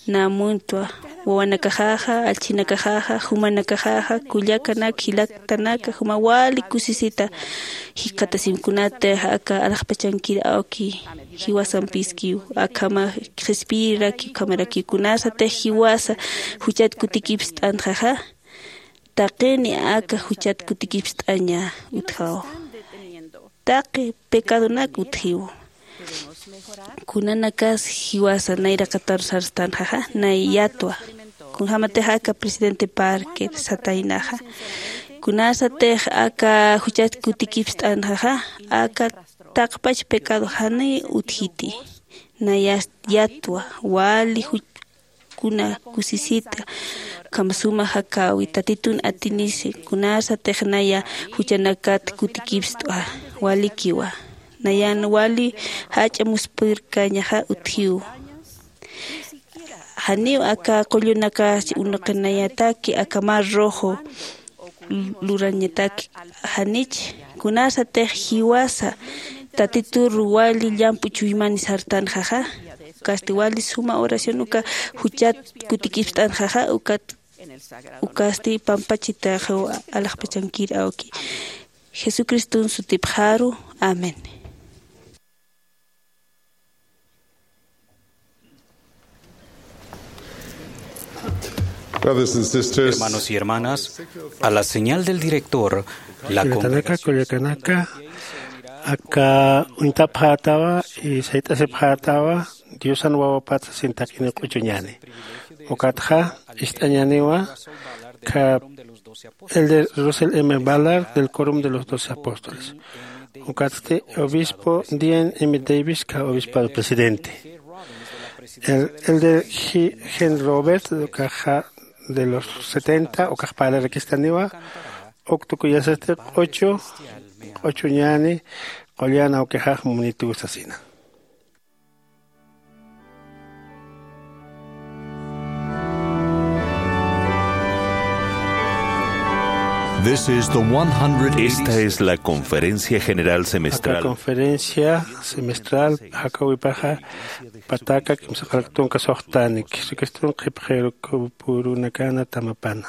Na muntwa, wawanakaxaxa, allchhinakaxaxa, jumanakaxaxa, kullakanak, jilatanaka, juma wali kusisita jikxatasim, kunatix aka alaxpachankir awki jiwasampiskiw, akhama qhispiyiraki, ukhamarakiw, kunasatix jiwasa juchat kutikipst'anxaxa, taqini aka juchat kutikipst'aña utjaw. Taqi pecadonak utjiw. Kunanakas jiwasa nayraqataru sarstanxaxa, nay yatwa. Kunjamatix aka presidente Parker sataynaxa, kunasatix aka juchat kutikipst'anxaxa, aka taqpach pecado jani utjiti. Nay yatwa, wali juch- kuna kusisita, ukham suma jakäwi, Tatitun atinisi, kunasatix naya juchanakat kutikipst'wa, walikiwa. Nayan wali jach'a muspürkañaxa utjiw. Janiw aka qullunakax unuqinayataki aka mar rojo lurañataki. Janich kunasatix jiwasa tatitur wali llamp'u chuymani sartanxaxa. Ukasti wali suma oración uka juchat kutikispt'anxaxa. Ukat ukasti pampachitaxiw alaxpachankir awki. Jesucristun sutipxaru. Amén. Brothers and sisters, hermanos y hermanas, a la señal del director, la congregación kullakanaka, aka uñtapxätawa y sayt'asipxätawa Diosan Wawapat sasin tak'ini q'uchuñäni. Ukatxa ist'añäniwa ka Elder Russell M. Ballard del Quórum de los Doce Apóstoles. Ukatsti obispo Dean M. Davis ka obispado presidente. El, elder Gen Robert, ukaxa de los setenta, ukax parlarakistaniwa, uktukuyasasti q'uchu, q'uchuñäni, qullan awkixax munituw sasina. This is the one hundred eighty. Esta es la conferencia general semestral. Aka conferencia semestral jakawipaxa pataka kimsaqalak tunka suxtanik. Jesucristun qhipxiru kupurunakana tamapana.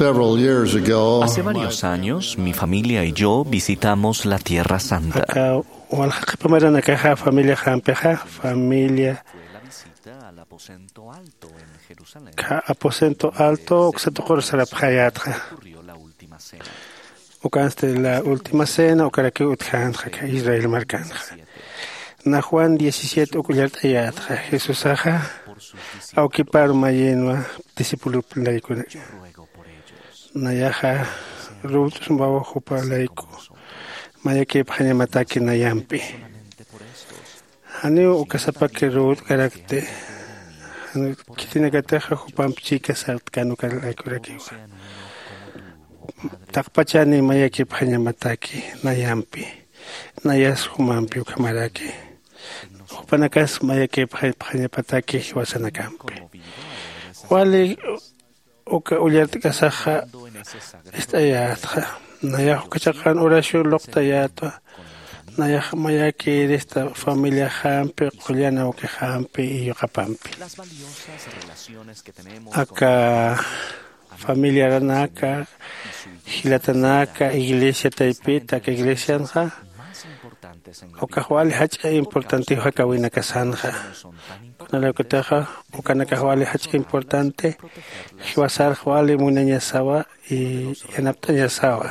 Several years ago, hace varios años, mi familia y yo visitamos la Tierra Santa. Aka walja qhipa maranakaxa familia jampixa, familia ka aposento alto uksa tuqur sarapxayätxa. Ukansti la última cena ukarakiw utjänxa israel markanxa. Na juan diecisiete uk ullart'ayätxa jesusaxa awkipar mayinwa discipulop laykunak. Nayaxa ruwt'usmawa jupa layku mayakipxañamataki nayampi. Janiw ukasapaki ruwt'karakti. Khitinakatixa jupamp chika sartkan uka laykurakiwa. Taqpachani mayakipxañamataki nayampi. Nayas jumampi ukhamaraki. Jupanakas mayakipxañapataki jiwasanakampi. Wali uka ullart'kasaxa ist'ayätxa. Nayax uka chaqan oración luqtayätwa. Nayax mayakirista familiaxampi qullan awkixampi y yuqapampi. Aka familiaranaka jilatanaka iglesia taypita aka iglesianxa ukax wali jach'a importantiw jakawinakasanxa. Kunalaykutixa ukanakax wali jach'a importanti jiwasarx wali munañasawa y yanapt'añasawa.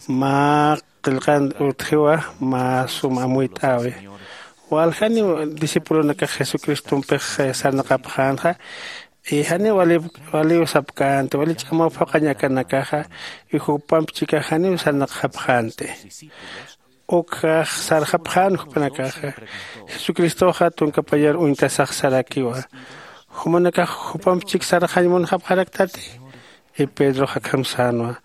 Mä qillqan utjiwa mä sum amuyt'äwi. Waljaniw discipulonakax jesucristompix sarnaqapxänxa. Y janiw waliw sapkänti wali ch'amaw phuqhañ akanakaxa y jupamp chikax janiw sarnaqxapxänti. Ukjax sarxapxän jupanakaxa. Jesucristoxa tunkapayar uñtasax sarakiwa. Jumanakax jupamp chik sarxañ munxapxaraktati? Y pedrox akham sänwa,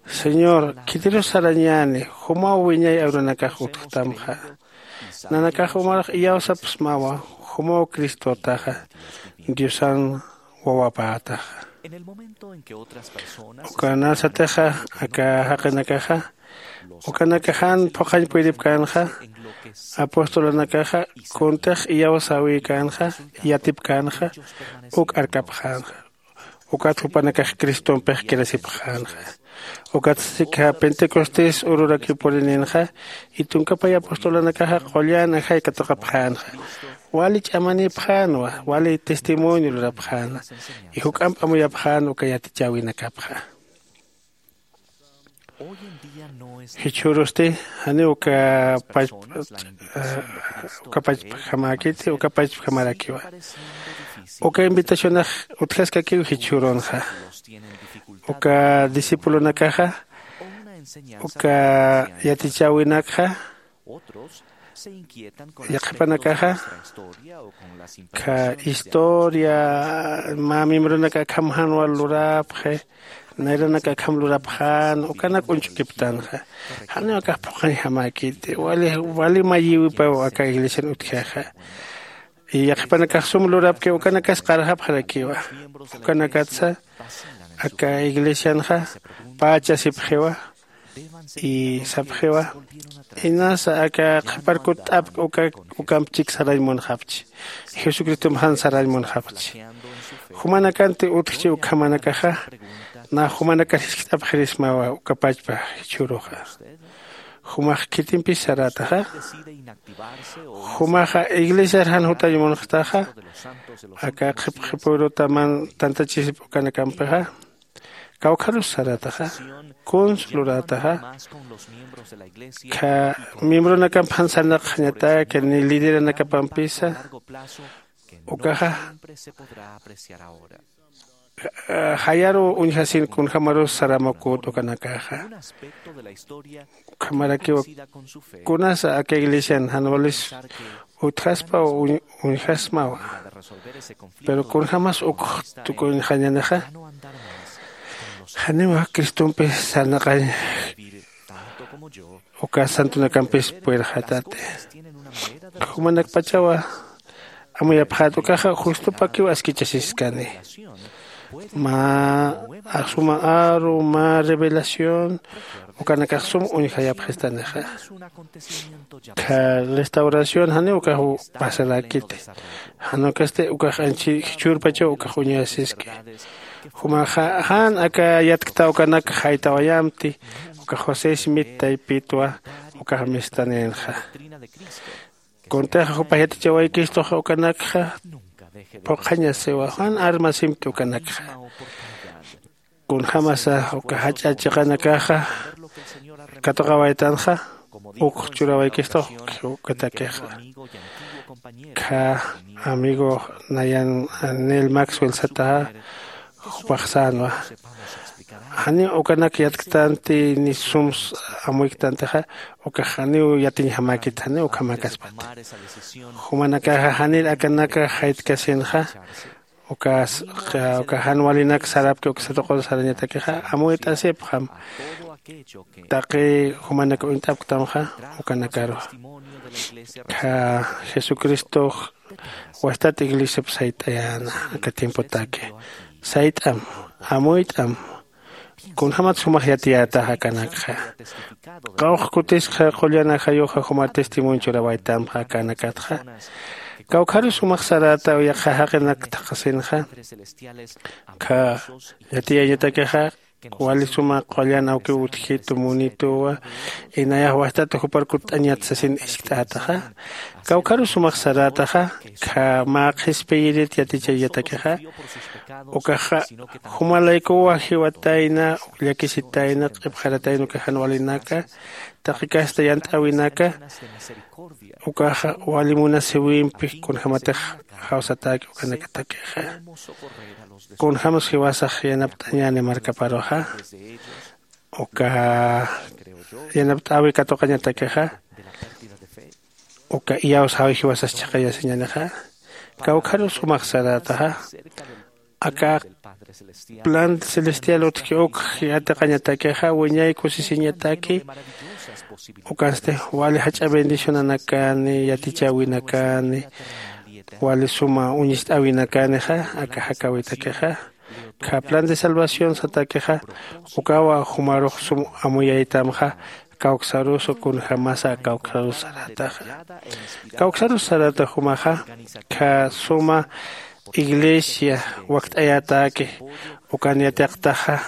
señor, khitirus sarañäni jumaw wiñay arunakax utjtamxa. Nanakax umarux iyawsapsmawa jumaw cristotaxa diosan wawapätaxa. Ukanasatixa aka jaqinakaxa ukanakaxan phuqhañ puyripkänxa. Apostolanakaxa kuntix iyawsäwïkänxa yatipkänxa uk arkapxänxa. Ukat jupanakax cristompix kirasipxänxa. Ukat sika pentecostés ururakiw purininxa. Y tunkapay apostolanakaxa qullan ajay katuqapxänxa. Wali ch'amanïpxänwa wali testimonio lurapxäna. Y juk'amp amuyapxän uka yatichäwinakapxa. Jichhürusti janiw uka pachp uka pachpjamäkiti uka pachpjamarakiwa. Uka invitacionax utjaskakiw jichhürunxa. Uka discipulonakaxa uka yatichäwinakxa yaqhipanakaxa ka historia mä miembronaka akham jan wal lurapxi. Nayranaka akham lurapxän ukanak uñch'ukiptanxa. Janiw akax phuqhañjamäkiti wali wali mayiwipaw aka iglesian utjixa. Y yaqhipanakax sum lurapki ukanakas qarxapxarakiwa. Ukanakatsa aka iglesianxa pachasipxiwa. Y sapxiwa, inasa aka qhipar kutt'apk uka ukamp chik sarañ munxapchi. Jesucristomp jan sarañ munxapchi. Jumanakanti utjchi ukhamanakaxa. Nax jumanakar jiskt'apxirismawa uka pachpa jichhüruxa. Jumax khitimpis sarätaxa? Jumaxa iglesiar jan jutañ munxtaxa? Aka qhip qhipüruta man tantachisip ukanakampixa. Kawkharus sarätaxa? Kuns lurätaxa? Kha miembronakamp jan sarnaqxañataki ni lideranakapampisa ukaxa jayaruw uñjasin kunjämarus sarämaküt ukanakaxa. Ukhamarakiw kunasa aka iglesian jan walis utjaspa o uñjasmawa. Pero kunjämas ukx tukuñxañanixa janiw cristompi sarnaqañ uka santunakampis puyrxatati. Jumanakpachawa amuyapxät ukaxa justupakiw askichasiskani. Mä asuma aru mä revelación ukanakax sum uñjayapxistanixa. Kha restauración janiw ukax pasarakiti. Jan ukasti ukax anchi jichhürpachaw ukax uñasiski. Jumaxa jan aka yatkta ukanak jaytawayamti uka josé smit taypitwa ukax mistaninxa. Kuntixa jupax yatichawaykistuxa ukanakxa phuqhañasiwa jan armasimti ukanakxa. Kunjämasa uka jach'a chiqanakaxa katuqawaytanxa, uk churawaykistu ukatakixa. Kha amigo nayan Neil Maxwell sataxa, jupax sänwa, janiw ukanak yatktanti ni sums amuyktantixa, ukax janiw yatiñjamäkit, janiw ukhamäkaspati. Jumanakaxa janir akanaka jaytkasinxa, ukas uka jan walinak sarapki uksa tuqur sarañatakixa amuyt'asipxam. Taqi jumanak uñt'apktamxa ukanakaru. Kha jesucristox wastat iglesiap sayt'ayäna aka tiempotaki. Sayt'am, amuyt'am. Kunjämat sumax yatiyätax akanakxa. Qawqha kutiskxa qullan ajayuxa juma testimonio churawaytamxa akanakatxa. Kawkharus sumax sarätaw yaqha jaqinak thaqhasinxa. Kha yatiyañatakixa wali suma qullan awkiw utjitu munituwa, inayax wajtata jupar kutt'añat sasin iskt'ätaxa. Kawkharus sumax sarätaxa. Kha mä qhispiyirit yatichañatakixa, ukaxa jumalaykuwa jiwatayna, llakisitayna, q'ipxaratayna uka jan walinaka, taqi kasta yant'äwinaka. Ukaxa wali munasiwimpi kunjämatix jawsatäki ukanakatakixa. Kunjämas jiwasax yanapt'añäni markaparuxa, uka yanapt'äwi katuqañatakixa, uka iyawsäwi jiwasas chhaqayasiñänixa. Kawkharus jumax sarätaxa. Aka plan celestial utjki uk yatiqañatakixa wiñay kusisiñataki. Ukansti wali jach'a bendicionanakani, yatichäwinakani, wali suma uñist'äwinakanixa aka jakäwitakixa. Kha plan de salvación satakixa, ukawa jumarux sum amuyaytamxa. Kawksarusa kunjämasa kawksarusa sarätaxa. Kawksarusa saräta jumaxa, kha suma iglesia wakt'ayätäki, ukan yatiqtaxa.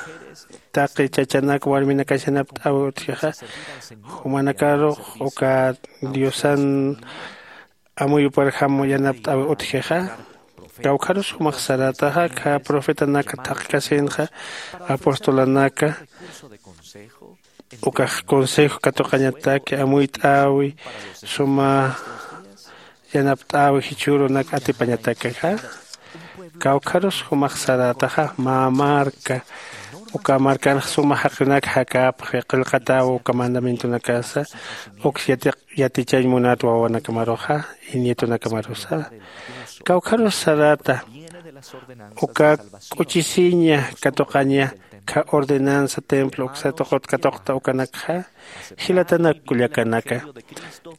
Taqi chachanak warminakas yanapt'äwi utjixa, jumanakarux uka diosan amuyuparjam yanapt'äwi utjixa. Kawkharus jumax sarätaxa, kha profetanak thaqkasinxa, apostolanaka, ukax consejo katuqañataki, amuyt'äwi, suma yanapt'äwi jichhürunak atipañatakixa. Kawkharus jumax sarätaxa, mä marka, uka markanx suma jaqinak jakäpxi, qillqatäwi uka mandamientonakasa, uks yatiq yatichañ munat wawanakamaruxa, y nietonakamarusa. Kawkharus saräta, uka k'uchisiña katuqaña, kha ordenanza templo uksa tuqut katuqta ukanakxa, jilatanak kullakanaka,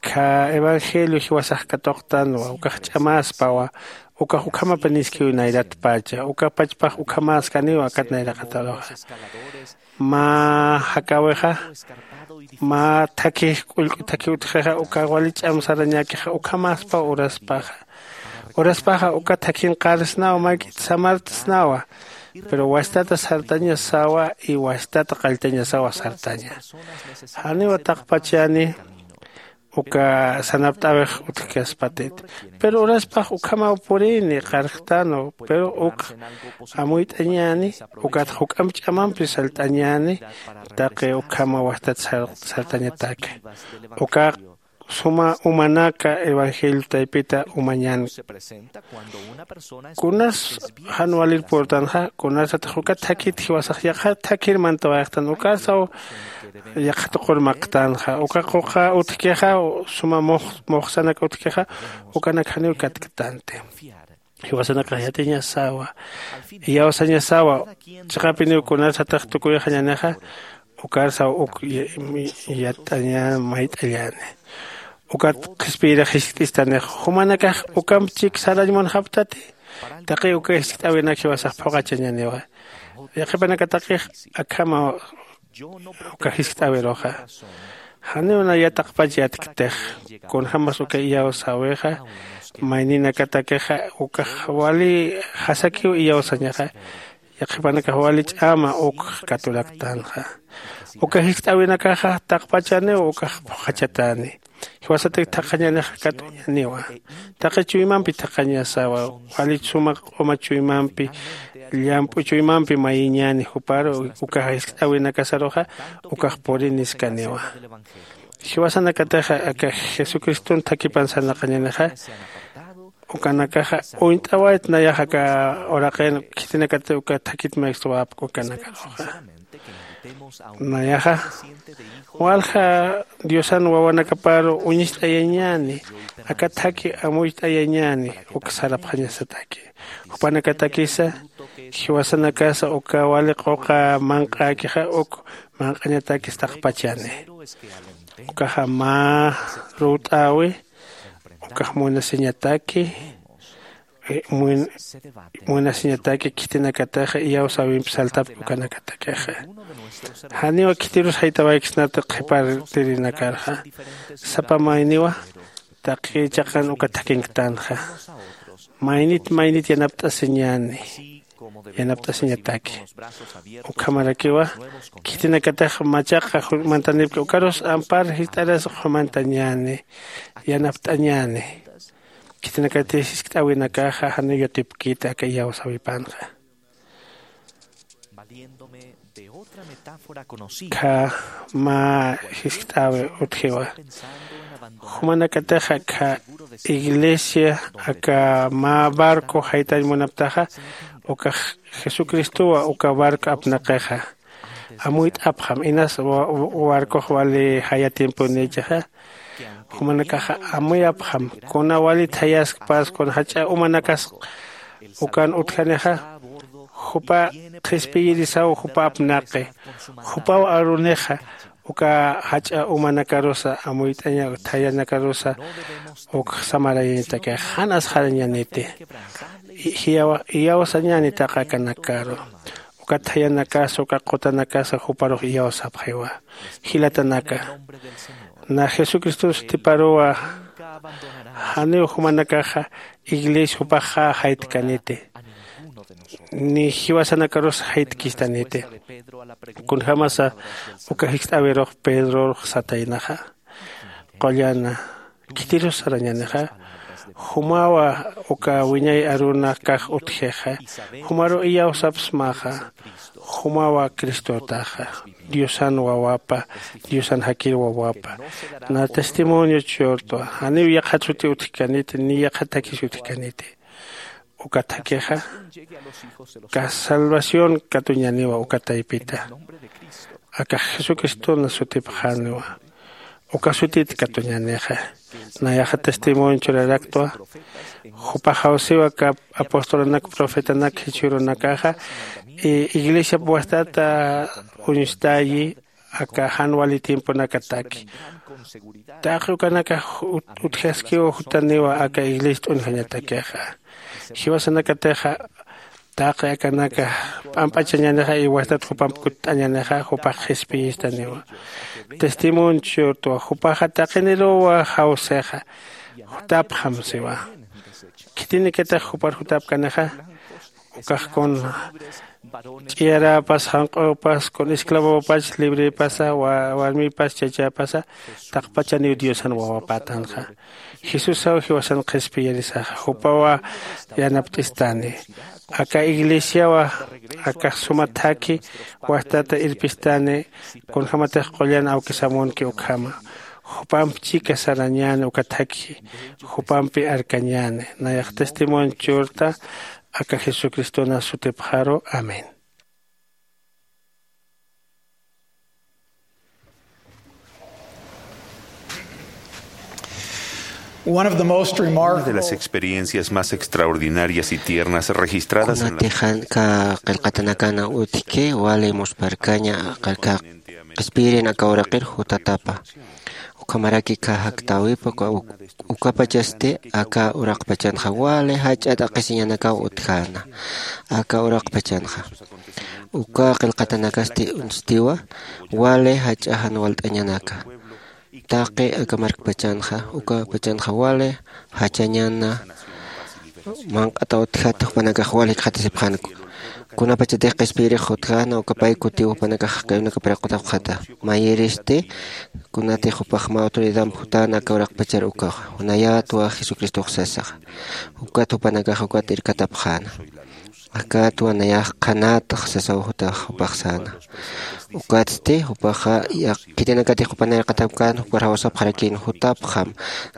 kha evangelio jiwasax katuqtanwa, ukax ch'amäspawa, ukax ukhamapiniskiw nayratpacha, uka pachpax ukhamäskaniwa akat nayraqataruxa. Mä jakäwixa, mä thakhi, k'ullk'u thakhi utjixa, uka wali ch'am sarañäkixa, ukhamäspaw uraspaxa. Uraspaxa uka thakhin qarsnawa, mayk'it samartsnawa. Pero wastata sartañasawa, y wastata qalltañasawa sartaña. Janiwa taqpachani, uka sanapt'äwix utjkaspatit. Pero uraspax ukhamaw purini, qarjtanu, pero uk amuyt'añäni, ukat juk'amp ch'amampi salt'añäni, taqi ukhama wajtat sar-, sartañataki. Uka suma umanaka evangelio taypita umañän. Kunas jan walir purtanxa, kunasatix ukat thakit jiwasax yaqha thakhir mantawayxtan, ukarsaw yaqha tuqur maqtanxa, uka quqa utjkixa, suma mux-, muxsanak utjkixa, ukanak janiw katktanti. Jiwasanakax yatiñasawa, iyawsañasawa, chiqapiniw kunasatix tukuyxañänixa, ukarsaw uk ya-, yat'añäni, mayt'añäni. Ukat qhispiyirix jiskt'istanix, jumanakax ukamp chik sarañ munxaptati, taqi uka jiskt'äwinak jiwasax phuqachañäniwa. Yaqhipanakatakix akhama uka jiskt'äwiruxa. Janiw naya taqpach yatktix, kunjämas uka iyawsäwixa, mayninakatakixa, ukax wali jasakiw iyawsañaxa, yaqhipanakax wali ch'ama uk katuraktanxa. Uka jiskt'äwinakaxa taqpachaniw ukax phuqhachatani. Jiwasatak thaqhañanixa katuñaniwa. Taqi chuymampi thaqhañasawa, wali suma q'uma chuymampi llamp'u chuymampi mayiñäni, juparu ukax jiskt'äwinakasaruxa ukax puriniskaniwa. Jiwasanakatixa aka Jesucriston thakipan sarnaqañänixa, ukanakaxa uñt'awayt nayax aka uraqin khitinakatix uka thakit maykswapk ukanakaruxa. Nayaxa walja Diosan wawanakaparu uñist'ayañäni, aka thaki amuyt'ayañäni uk sarapxañasataki. Jupanakatakisa jiwasanakasa uka wali quqa manq'äkixa uk manq'añatakis taqpachani. Ukaxa mä ruwt'äwi, ukax munasiñataki, eh, mun-, munasiñataki khitinakataxa iyawsäwimp saltapk ukanakatakixa. Janiw khitirus jaytawayksnati qhipartirinakarxa. Sapa mayniwa taqi chiqan uka thakinktanxa. Maynit maynit yanapt'asiñäni, yanapt'asiñataki. Ukhamarakiwa khitinakatax machaqa jumantanipki ukarus ampar jist'aras jumantañäni, yanapt'añäni. Khitinakatix jiskt'äwinakaxa janiw yatipkiti aka iyawsäwipanxa. Kha mä jiskt'äwi utjiwa. Jumanakatixa kha iglesia aka mä barco jaytañ munaptaxa, ukax Jesucristowa uka barco apnaqixa. Amuyt'apxam, inas wa-, wa-, barcox wali jaya tiemponïchixa. Jumanakaxa amuyapxam, kuna walit jayaskpas, kuna jach'a umanakas ukan utjanixa, jupa qhispiyirisaw jupa apnaqi, jupaw arunixa, uka jach'a umanakarusa amuyt'aña, thayanakarusa uk samarayañataki, jan asxarañäniti. I-, jiyawa-, iyawsañäni taqi akanakaru. Uka thayanakasa, uka qutanakasa juparux iyawsapxiwa. Jilatanaka, na Jesucriston sutiparuwa janiw jumanakaxa iglesia jupaxa jaytkaniti, ni jiwasanakarus jaytkistaniti. Kunjämasa uka jiskt'äwirux Pedrorux sataynaxa. Qullana, khitirus sarañänixa, jumawa uka wiñay arunakax utjixa, jumaru iyawsapsmaxa, jumawa Cristotaxa, Diosan wawapa, Diosan jakir wawapa. Na testimonio churtwa, janiw yaqhat suti utjkaniti, ni yaqhat thakis utjkaniti. Uka thakixa, ka salvación katuñäniwa uka taypita. Akax Jesucristona sutipxäniwa. Uka sutit katuñänixa. Nayaxa testimonio churaraktwa. Jupax jawsiwa aka apostolanak, profetanak, jichhürunakaxa, i-, iglesiap wajtata uñstayi, aka jan wali tiemponakataki. Taqi ukanakax ut-, utjaskiw jutaniwa aka iglesia t'unjañatakixa. Jiwasanakatixa, taqi akanaka p'amp'achañänixa, iwastat jupamp kutt'añänixa, jupax qhispiyistaniwa. Testimonio churtwa, jupaxa taqiniruwa jawsixa, jutapxam siwa. Khitinikatix jupar jutapkanixa, ukax kun ch'iyaräpas, janq'üpas, kun esclavopach, librepasa, wa-, warmipas, chachapasa, taqpachaniw Diosan wawapätanxa. Jesusaw jiwasan qhispiyirisaxa, jupawa yanapt'istani. Aka iglesiawa, akax suma thaki, wajtata irpistani, kunjämatix qullan awkisamunki ukhama. Jupamp chika sarañäni uka thaki, jupampi arkañäni. Nayax testimonio churta, aka Jesucristona sutipxaru. Amén. Una de las experiencias más extraordinarias y tiernas registradas en la... Kunatix jan qillqatanakana utjki, wali muspharkaña, aka qhispiyirin aka uraqir jutatapa. Ukhamaraki aka jaktäwipa, uka, uk-, ukapachasti aka uraqpachanxa wali jach'a t'aqhisiñanakaw utjäna. Aka uraqpachanxa. Uka qillqatanakasti uñstiwa, wali jach'a jan walt'añanaka. Taqi aka markpachanxa, ukapachanxa wali jachañana, manq'ata utjata, jupanakax wal jikxatasipxänku. Kunapachatix qhispiyirix jutjäna, uka pay kutiw jupanakax jaqiwinakapar qutapxata. Mayiristi, kunatix jupax mä autoridadamp jutäna aka uraqpachar ukaxa. Nayätwa Jesucristox sasaxa. Ukat jupanakax ukat irkatapxäna. Akatwa nayax qhanätax sasaw jutax jupax säna. Ukatsti jupaxa khitinakatix jupanirqatapkän jupar jawsapxarakïn jutapxam.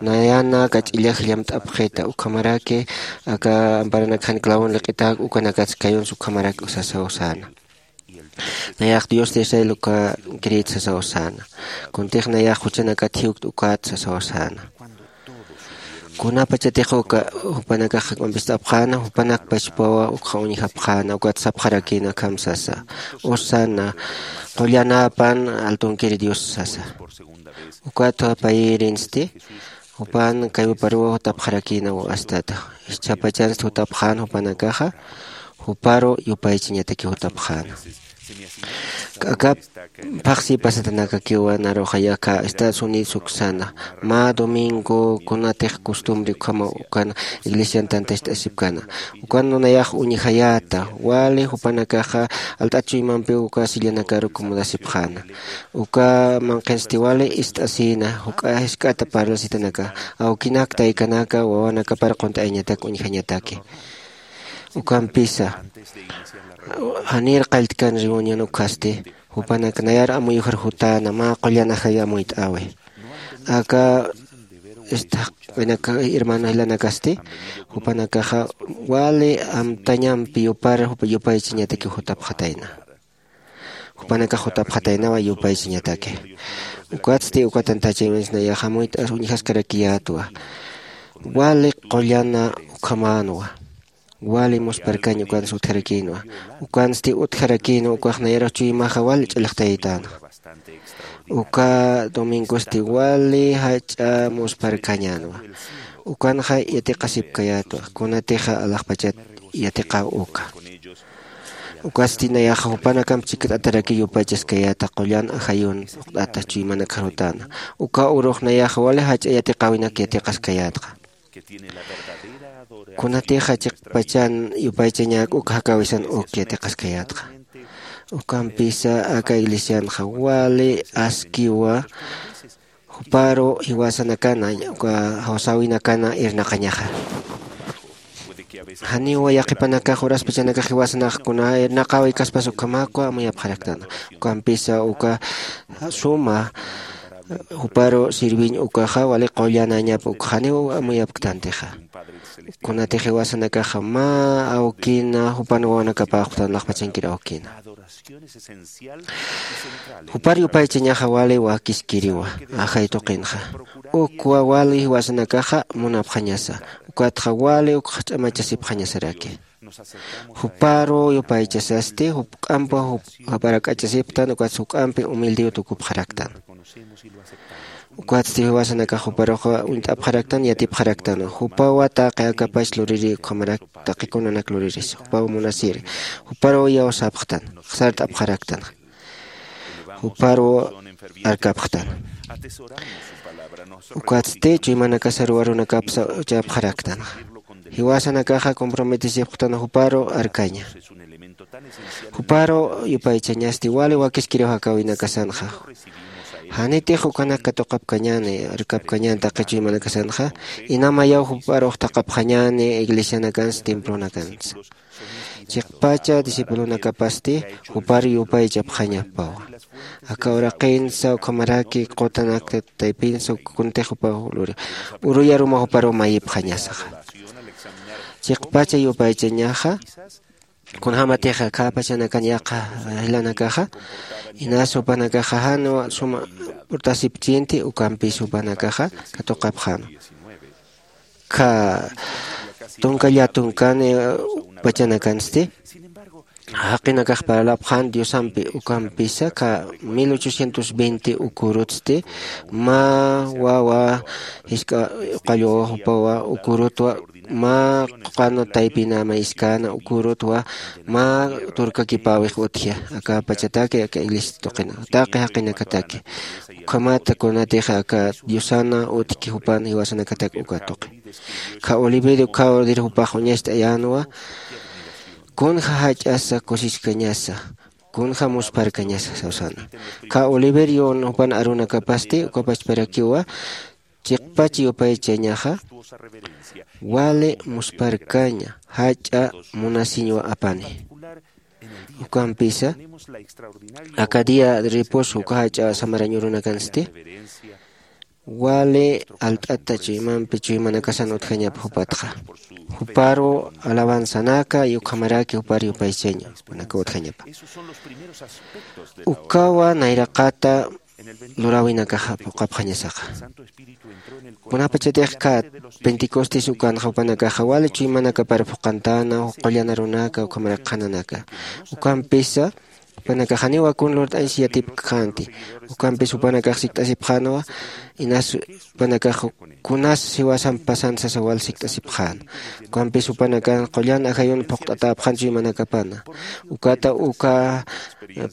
Nayanaka ch'illaj llamt'apxita ukhamaraki aka amparanakxan clavon liq'itäk ukanakats kayunsa ukhamarak sasaw säna. Nayax dios de israel uka creyit sasaw säna. Kuntix nayax juchanakat jiwkt ukat sasaw säna. Kunapachatix uka jupanakax jak'ampist'apxäna jupanak pachpawa ukxa uñjapxäna ukat sapxarakïna akham sasa. Usana qullanäpan altunkiri dios sasa. Ukat payïrinsti jupan kaywaparuw jutapxarakïnaw. Astata jichhapachansti jutapxän jupanakaxa juparu yupaychañataki jutapxäna. K'akap phaxsi pasatanakakiwa naruxa yaka estados unidos uksana mä domingo kunatix costumbre ukhama ukan iglesian tantacht'asipkana. Ukan nayax uñjayäta wali jupanakaxa alt'at chuymampiw uka sillanakaru kumudasipxäna. Uka manqhinsti wali ist'asïna juk'a jisk'ata parlasitanaka awkinak taykanaka wawanakapar qunt'ayañatak uñjañataki. Ukampisa janir qalltkan reunión ukhasti jupanak nayar amuyujar jutäna mä qullan ajay amuyt'äwi. Aka istaqinaka hermano jilanakasti jupanakaxa wali amtañampi yupar yupaychañataki jutapxatayna. Jupanakax jutapxataynawa yupaychañataki. Ukatsti uka tantachaymansi nayax amuyt'as uñjaskarakiyätwa. Wali qullana ukhamänwa. Wali musparkañ ukansi utjarakïnwa. Ukansti utjarakïnwa ukax nayarux chuymaxa wali ch'alixtaytänwa. Uka domingosti wali jach'a musparkañänwa. Ukanxa yatiqasipkayätwa kunatixa alaxpachat yatiqaw uka. Ukatsti nayaxa jupanakamp chikt'ataraki yupaychaskayäta qullan ajayun phuqt'ata chuymanakxarutäna. Uka urux nayaxa wali jach'a yatiqäwinak yatiqaskayätxa. Kunatixa chiqpachan yupaychañak uk jakäwisan uk yatiqaskayätxa. Ukampisa aka iglesianxa wali askiwa juparu jiwasanakana uka jawsäwinakana irnaqañaxa. Janiwa yaqhipanakax uraspachanakax jiwasanax kuna irnaqäwi kaspas ukhamäkwa amuyapxaraktana. Ukampisa uka suma juparu sirviñ ukaxa wali qullanañapa ukxaniw amuyapktantixa. Kunatix jiwasanakaxa mä awkina jupan wawanakapäxptan laxpachankir awkina. Jupar yupaychañaxa wali wakiskiriwa ajay tuqinxa. Ukwa wali jiwasanakaxa munapxañasa ukatxa wali ukxch'amachasipxañasaraki. Juparu yupaychasasti juk'ampa japarak'achasiptan ukatsa juk'ampi humildiw tukupxaraktan. Ukatsti jiwasanakax juparuxa uñt'apxaraktan yatipxaraktan. Jupawa taqi akapach luriri ukhamarak taqi kunanak luriris jupaw munasiri. Juparuw iyawsapxtan sart'apxaraktan. Juparuw arkapxtan. Ukatsti chuymanakasaruw arunakapsa uchapxaraktan. Jiwasanakaxa comprometesipxtan juparu arkaña. Juparu yupaychañasti wali wakiskiriw jakäwinakasanxa. Janitix ukanak katuqapkañäni arkapkañäni taqi chuymanakasanxa. Inamayaw juparux thaqhapxañäni iglesianakansa templonakansa. Chiqpacha discipulonakapasti jupar yupaychapxañapawa. Aka uraqinsa ukhamaraki qutanakta taypinsa kuntix jupaw luri uruyaruma juparuw mayipxañasaxa. Chiqpacha yupaychañaxa kunjämatix khäpachanakan yaqha jilanakaxa inas jupanakaxa jan suma purtasipchinti ukampis jupanakaxa katuqapxäna. Kha tunka llätunkani pachanakansti jaqinakax parlapxän diosampi ukampisa kha mil ochocientos veinte ukurutsti mä wawa jisk'a uqallwawa jupawa ukurutwa mä quqan taypina mayskäna ukurutwa mä turkakipäwix utji aka pachataki aka iglesia tuqina taqi jaqinakataki. Ukhamat kunatix aka diosana utjki jupan jiwasanakatak uka tuqi. Kha oliverio kha ordir jupax uñacht'ayänwa kunja jach'asa kusiskañasa kunja muspharkañasa sawsana. Kha oliverio jupan arunakapasti uka pachparakiwa chiqpach yupaychañaxa wali musparkaña jach'a munasiñwa apani. Ukampisa aka día ripus uka jach'a samarañ urunakansti wali alt'ata chuymampi chuymanakasan utjañapa jupatxa. Juparu alabanzanaka y ukhamaraki jupar yupaychaña jupanaka utjañapa. Ukawa nayraqata luräwinakaxa phuqhapxañasaxa. Kunapachatix kha pentecostes ukanxa jupanakaxa wali chuymanakapar phuqhantäna, qullan arunaka ukhamarak qhananaka. Ukampisa jupanakax janiw akun lurt'añsa yatipkxänti. Ukampis jupanakax sikt'asipxänwa inas jupanakax kunas jiwasamp pasan sasa wal sikt'asipxän. Ukampis jupanakan qullan ajayun phuqt'atäpxän chuymanakapana. Ukata uka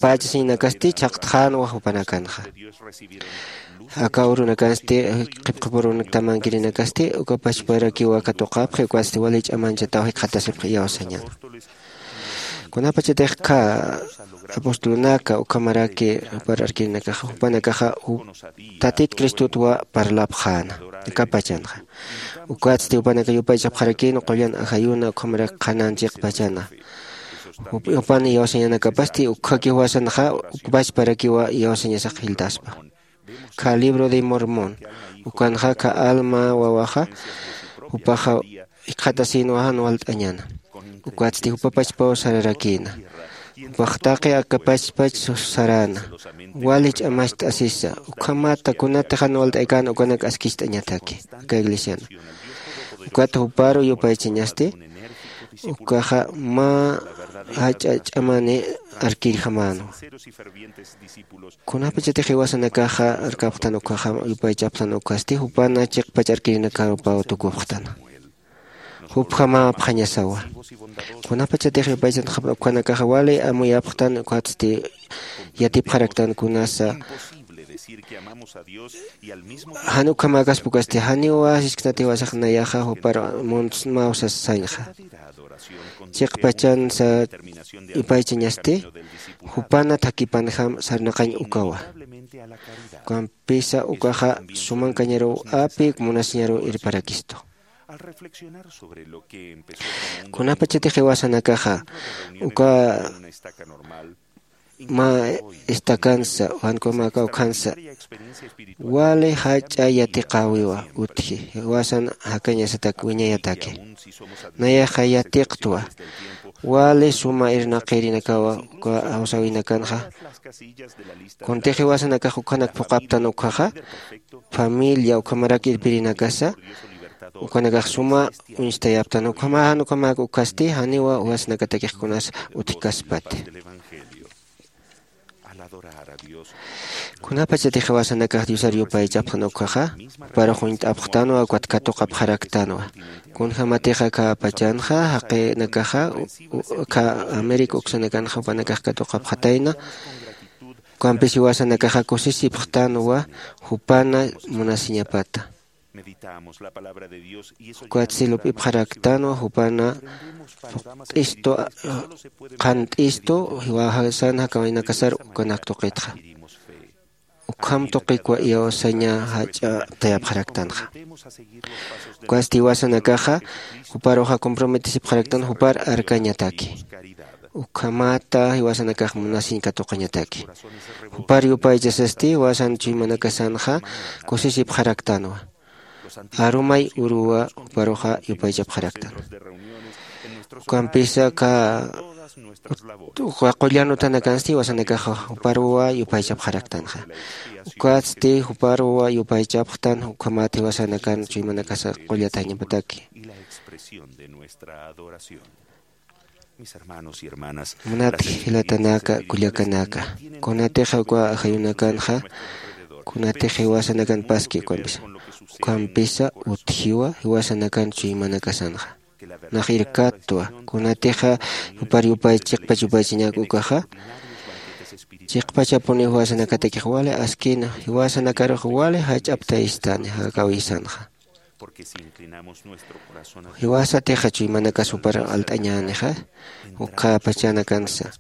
pachasiñnakasti chhaqtxänwa jupanakanxa. Aka urunakansti qhipqhipurunaktamankirinakasti uka pachparakiwa katuqapxi ukatsti wali ch'amanchataw jikxatasipxi iyawsañäna. Kunapachatix kha apostolunaka ukhamaraki jupar arkirinakaxa jupanakaxa tatit cristotwa parlapxäna. Aka pachanxa ukatsti jupanaka yupaychapxarakïn qullan ajayuna ukhamarak qhanan chiqpachana. Jupan iyawsañanakapasti ukhaki juwasanxa ukpachparakiwa iyawsañasax jiltaspa. Kha libro de mormón ukanxa kha alma wawaxa jupaxa jikxatasïnwa jan walt'añäna. Ukatsti jupa pachpaw sararakïna. Jupax taqi aka pachpach saräna wali ch'amacht'asisa. Ukhamata kunatix jan walt'aykän ukanak askicht'añataki aka iglesiana. Ukat juparu yupaychañasti ukaxa mä jach'a ch'amani arkirjamänwa. Kunapachatix jiwasanakaxa arkapxtan ukhaxa yupaychapxtan ukhasti jupana chiqpach arkirinakarupaw tukupxtan. Jupjamäpxañasawa. Kunapachatix yupaychanxapxtan ukhanakaxa wali amuyapxtan ukhatsti yatipxaraktan kunasa. Jan ukhamäkaspa ukasti janiwa sisknat jiwasax nayaxa jupar muntsmaw sasañxa. Chiqpachansa yupaychañasti jupana thakhipanjam sarnaqañ ukawa. Ukampisa ukaxa sumankañaruw api munasiñaruw irparakistu. Kunapachatix jiwasanakaxa uka mä estacansa jan ukhamäka ukhansa wali jach'a yatiqäwiwa utji jiwasan jakañasatak wiñayataki. Nayaxa yatiqtwa wali suma irnaqirinakawa uka jawsäwinakanxa. Kuntix jiwasanakax ukhanak phuqhaptan ukkhaxa familia ukhamarak irpirinakasa ukanakax suma uñstayaptan ukhama jan ukhamäk ukkasti janiwa jiwasanakatakix kunas utjkaspati. Kunapachatix jiwasanakax diosar yupaychapxtan ukkhaxa juparux uñt'apxtanwa ukat katuqapxaraktanwa. Kunjämatixa aka pachanxa jaqinakaxa aka américa uksanakanxa jupanakax katuqapxatayna. Ukampis jiwasanakaxa kusisipxtanwa jupana munasiñapata. Ukatsi lup'ipxaraktanwa jupana phuqt'istu qhant'istu jiwasan jakawaynakasar ukanak tuqitxa. Ukham tuqikwa iyawsaña jach'a tayapxaraktanxa. Ukatsti jiwasanakaxa juparuxa comprometesipxaraktan jupar arkañataki. Ukhamata jiwasanakax munasiñ katuqañataki. Jupar yupaychasasti jiwasan chuymanakasanxa kusisipxaraktanwa. Arumay uruwa juparuxa yupaychapxaraktan. Ukampisa aka qullan uthanakansti jiwasanakaxa juparuwa yupaychapxaraktanxa. Ukatsti juparuwa yupaychapxtan ukhamat jiwasanakan chuymanakasa qullatañapataki. Munat jilatanaka kullakanaka, kunatixa uka ajayunakanxa kunatix jiwasanakan paski ukampisa ukampisa utjiwa jiwasanakan chuymanakasanxa. Nax irkattwa kunatixa jupar yupay chiqpach yupaychañak ukaxa chiqpachapuni jiwasanakatakix wali askina jiwasanakarux wali jach'aptayistani jakawisanxa. Jiwasatixa chuymanakas jupar alt'añänixa ukkhapachanakansa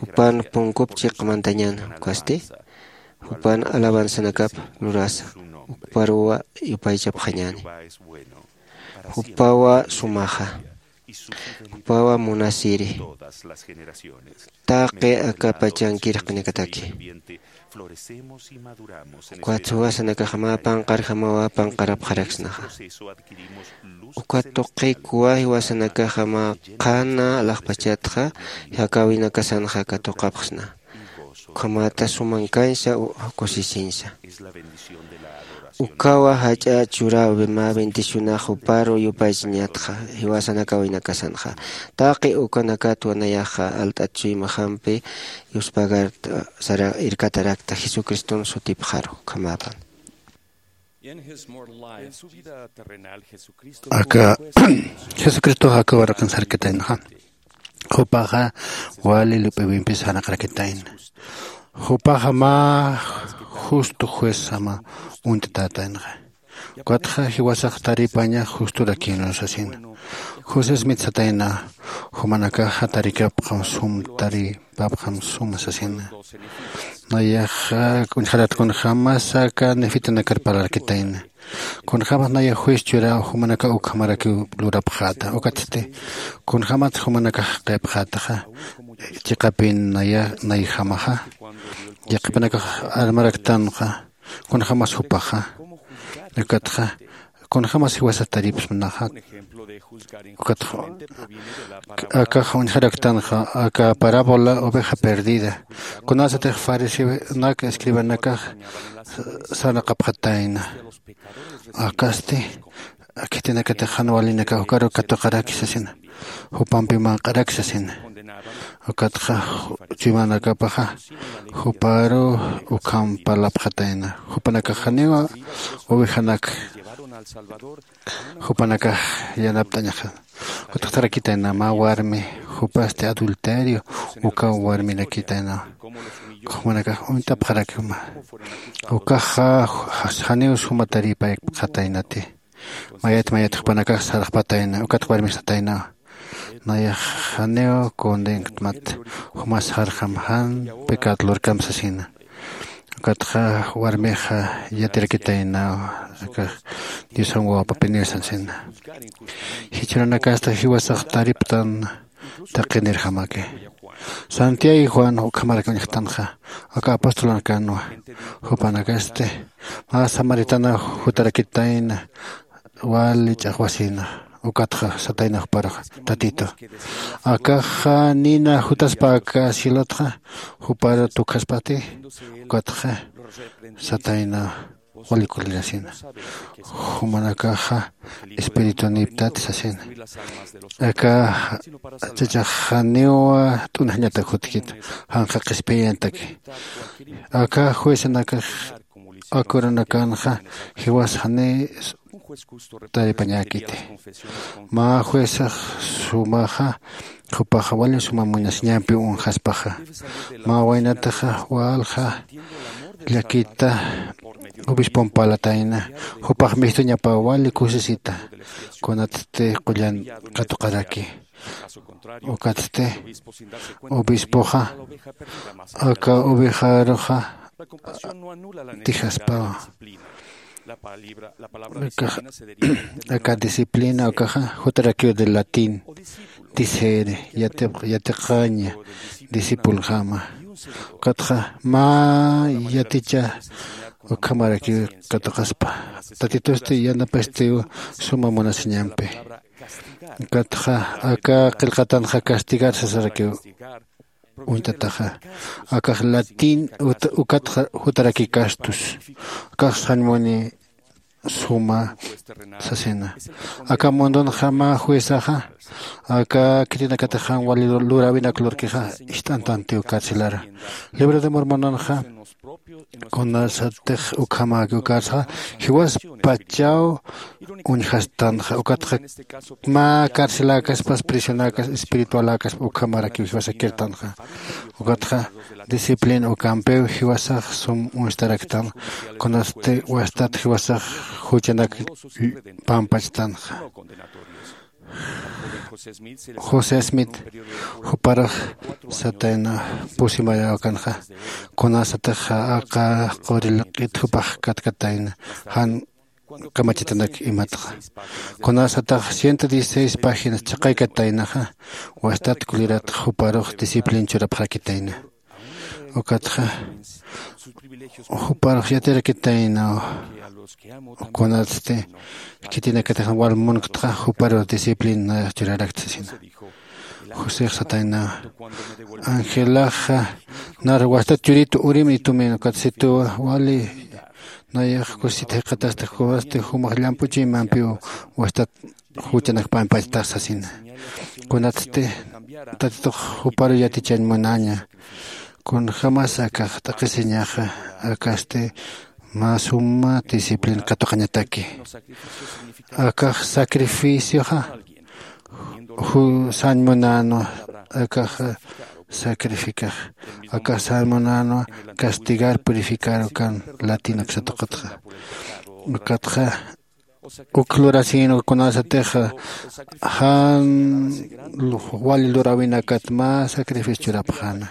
jupan punkup chiqmantañäna ukasti jupan alabanzanakap lurasa. Juparuwa yupaychapxañäni. Jupawa sumaxa. Jupawa munasiri. Taqi aka pachankir q'inakataki. Ukat jiwasanakaxa mä panqarjamawa panqarapxaraksnaxa. Ukat tuqikuwa jiwasanakaxa mä qhana alaxpachatxa, jakawinakasanxa katuqapxsna. Ukhamata sumankansa kusisiñsa. Ukawa jach'a churaw mä bendicionax juparu yupaychañatxa, jiwasanakawinakasanxa. Taqi ukanakatwa nayaxa alt'at chuymajampi yuspagarta sara irkatarakta jesucriston sutipxaru ukhamapan. Aka jesucristoxa aka waraqin sarkitaynaxa. Jupaxa wali lup'iwimpis janaqarakitayna. Jupaxa mä justo juezama uñtatätaynaxa. Ukatxa jiwasax taripaña justorakïnwa sasina. José smith satayna, jumanakaxa tarikapxam sum taripapxam suma sasina. Nayaxa uñjarat kunjämas aka nefitanakar parlarkitayna. Kunjämas nayax juez churaw jumanakax ukhamarakiw lurapxäta. Ukatsti kunjämat jumanakax jaqipxätaxa, chiqapin naya nayjamaxa yaqhipanakax armaraktanxa. Kunjämas jupaxa, ukatxa kunjämas jiwasat taripsnaxa. Ukatxa akax uñjaraktanxa aka parábola oveja perdida. Kunasatix fariseonak escribanakax sarnaqapxatayna. Akasti khitinakatix jan walinakax ukaru katuqaraki sasina. Jupampi manq'araki sasina. Ukatxa chuymanakapaxa juparu ukham parlapxatayna. Jupanakax janiwa ovejanak jupanakax yanapt'añaxa. Ukatxtarakitayna mä warmi jupasti adulterio ukaw warmirakitayna. Jumanakax uñtapxarakima. Ukaxa janiw suma taripaypxataynati. Mayat mayat jupanakax sarxpatayna ukat warmix sataynawa. Nayax janiw condenktmat, jumas sarxam jan pecado lurkam sasina. Ukatxa warmixa yatirakitaynawa. Akax diosan wawapapiniw sasina. Jichhüranakasta jiwasax tariptan taqinirjamaki. Santiago y juan ukhamarak uñjtanxa aka apostolanakanwa. Jupanakasti mä samaritana jutarakitayna wali ch'axwasina. Ukatxa satayna juparuxa, tatito, akaxa nina jutaspa aka cielotxa jupar tukjaspati. Ukatxa satayna wali kulirasina. Jumanakaxa espirituniptat sasina. Aka chachax janiw t'unjañatak jutkit janqa qhispiyañataki. Aka juecenakax akürunakanxa jiwas jani taripañäkiti. Mä juezax sumaxa jupaxa wali suma munasiñampi uñjaspaxa. Mä waynataxa walja llakita obispon parlatayna. Jupax mistuñapa wali kusisita kunatsti qullan katuqaraki. Ukatsti obispoxa aka ovejaruxa tijaspawa. Aka disciplina ukaxa jutarakiw de latín disere yatiqaña discipulojama. Ukatxa mä yaticha ukhamarakiw katuqaspa. Tatitusti yanapastiw suma munasiñampi. Ukatxa aka qillqatanxa castigar sasarakiw uñtataxa. Akax latín ukat jutarakiw castus. Akax sañmuni suma sasina. Aka mundunxa mä juezaxa aka khitinakatix jan wali luräwinak lurkixa ist'antantiw carcelara. Libro de mormonanxa kunasatix ukhamäkiw carcelxa jiwaspachaw uñjastanxa. Ukatxa mä carceläkaspas prisionakas espiritualäkaspa ukhamarakiw jiwasakirtanxa. Ukatxa disciplina ukampiw jiwasax sum uñstaraktan kunasti wastat jiwasax juchanak pampachtanxa. José Smith juparux satayna pusi mayawakanxa, kunasatix aka quril q'it jupax katkatayna jan kamachitanak imatxa. Kunasatix ciento dieciséis páginas chaqaykataynaxa, wastat kulirat juparux disciplin churapxarakitayna. Ukatxa juparux yatirakitaynaw. Kunatsti khitinakatix wal munktaxa juparux disciplin nayax churarakta sasina. José satayna, angelaxa nar wastat churitu urim itumin ukat situwa wali nayax kusit jiqatasta kunasti jumax llamp'uchuymampiw wastat juchanakpampachtax sasina. Kunatsti tatitux juparu yatichañ munaña, kunjämas akax t'aqhisiñaxa akasti mä suma disciplin katuqañataki. Akax sacrificioxa sañ munänwa. Akax sacrificax akax sañ munänwa castigar purificar ukan latin uksatuqatxa. Ukatxa uk lurasïnwa kunasatix jan wali luräwinakat mä sacrificio churapxäna.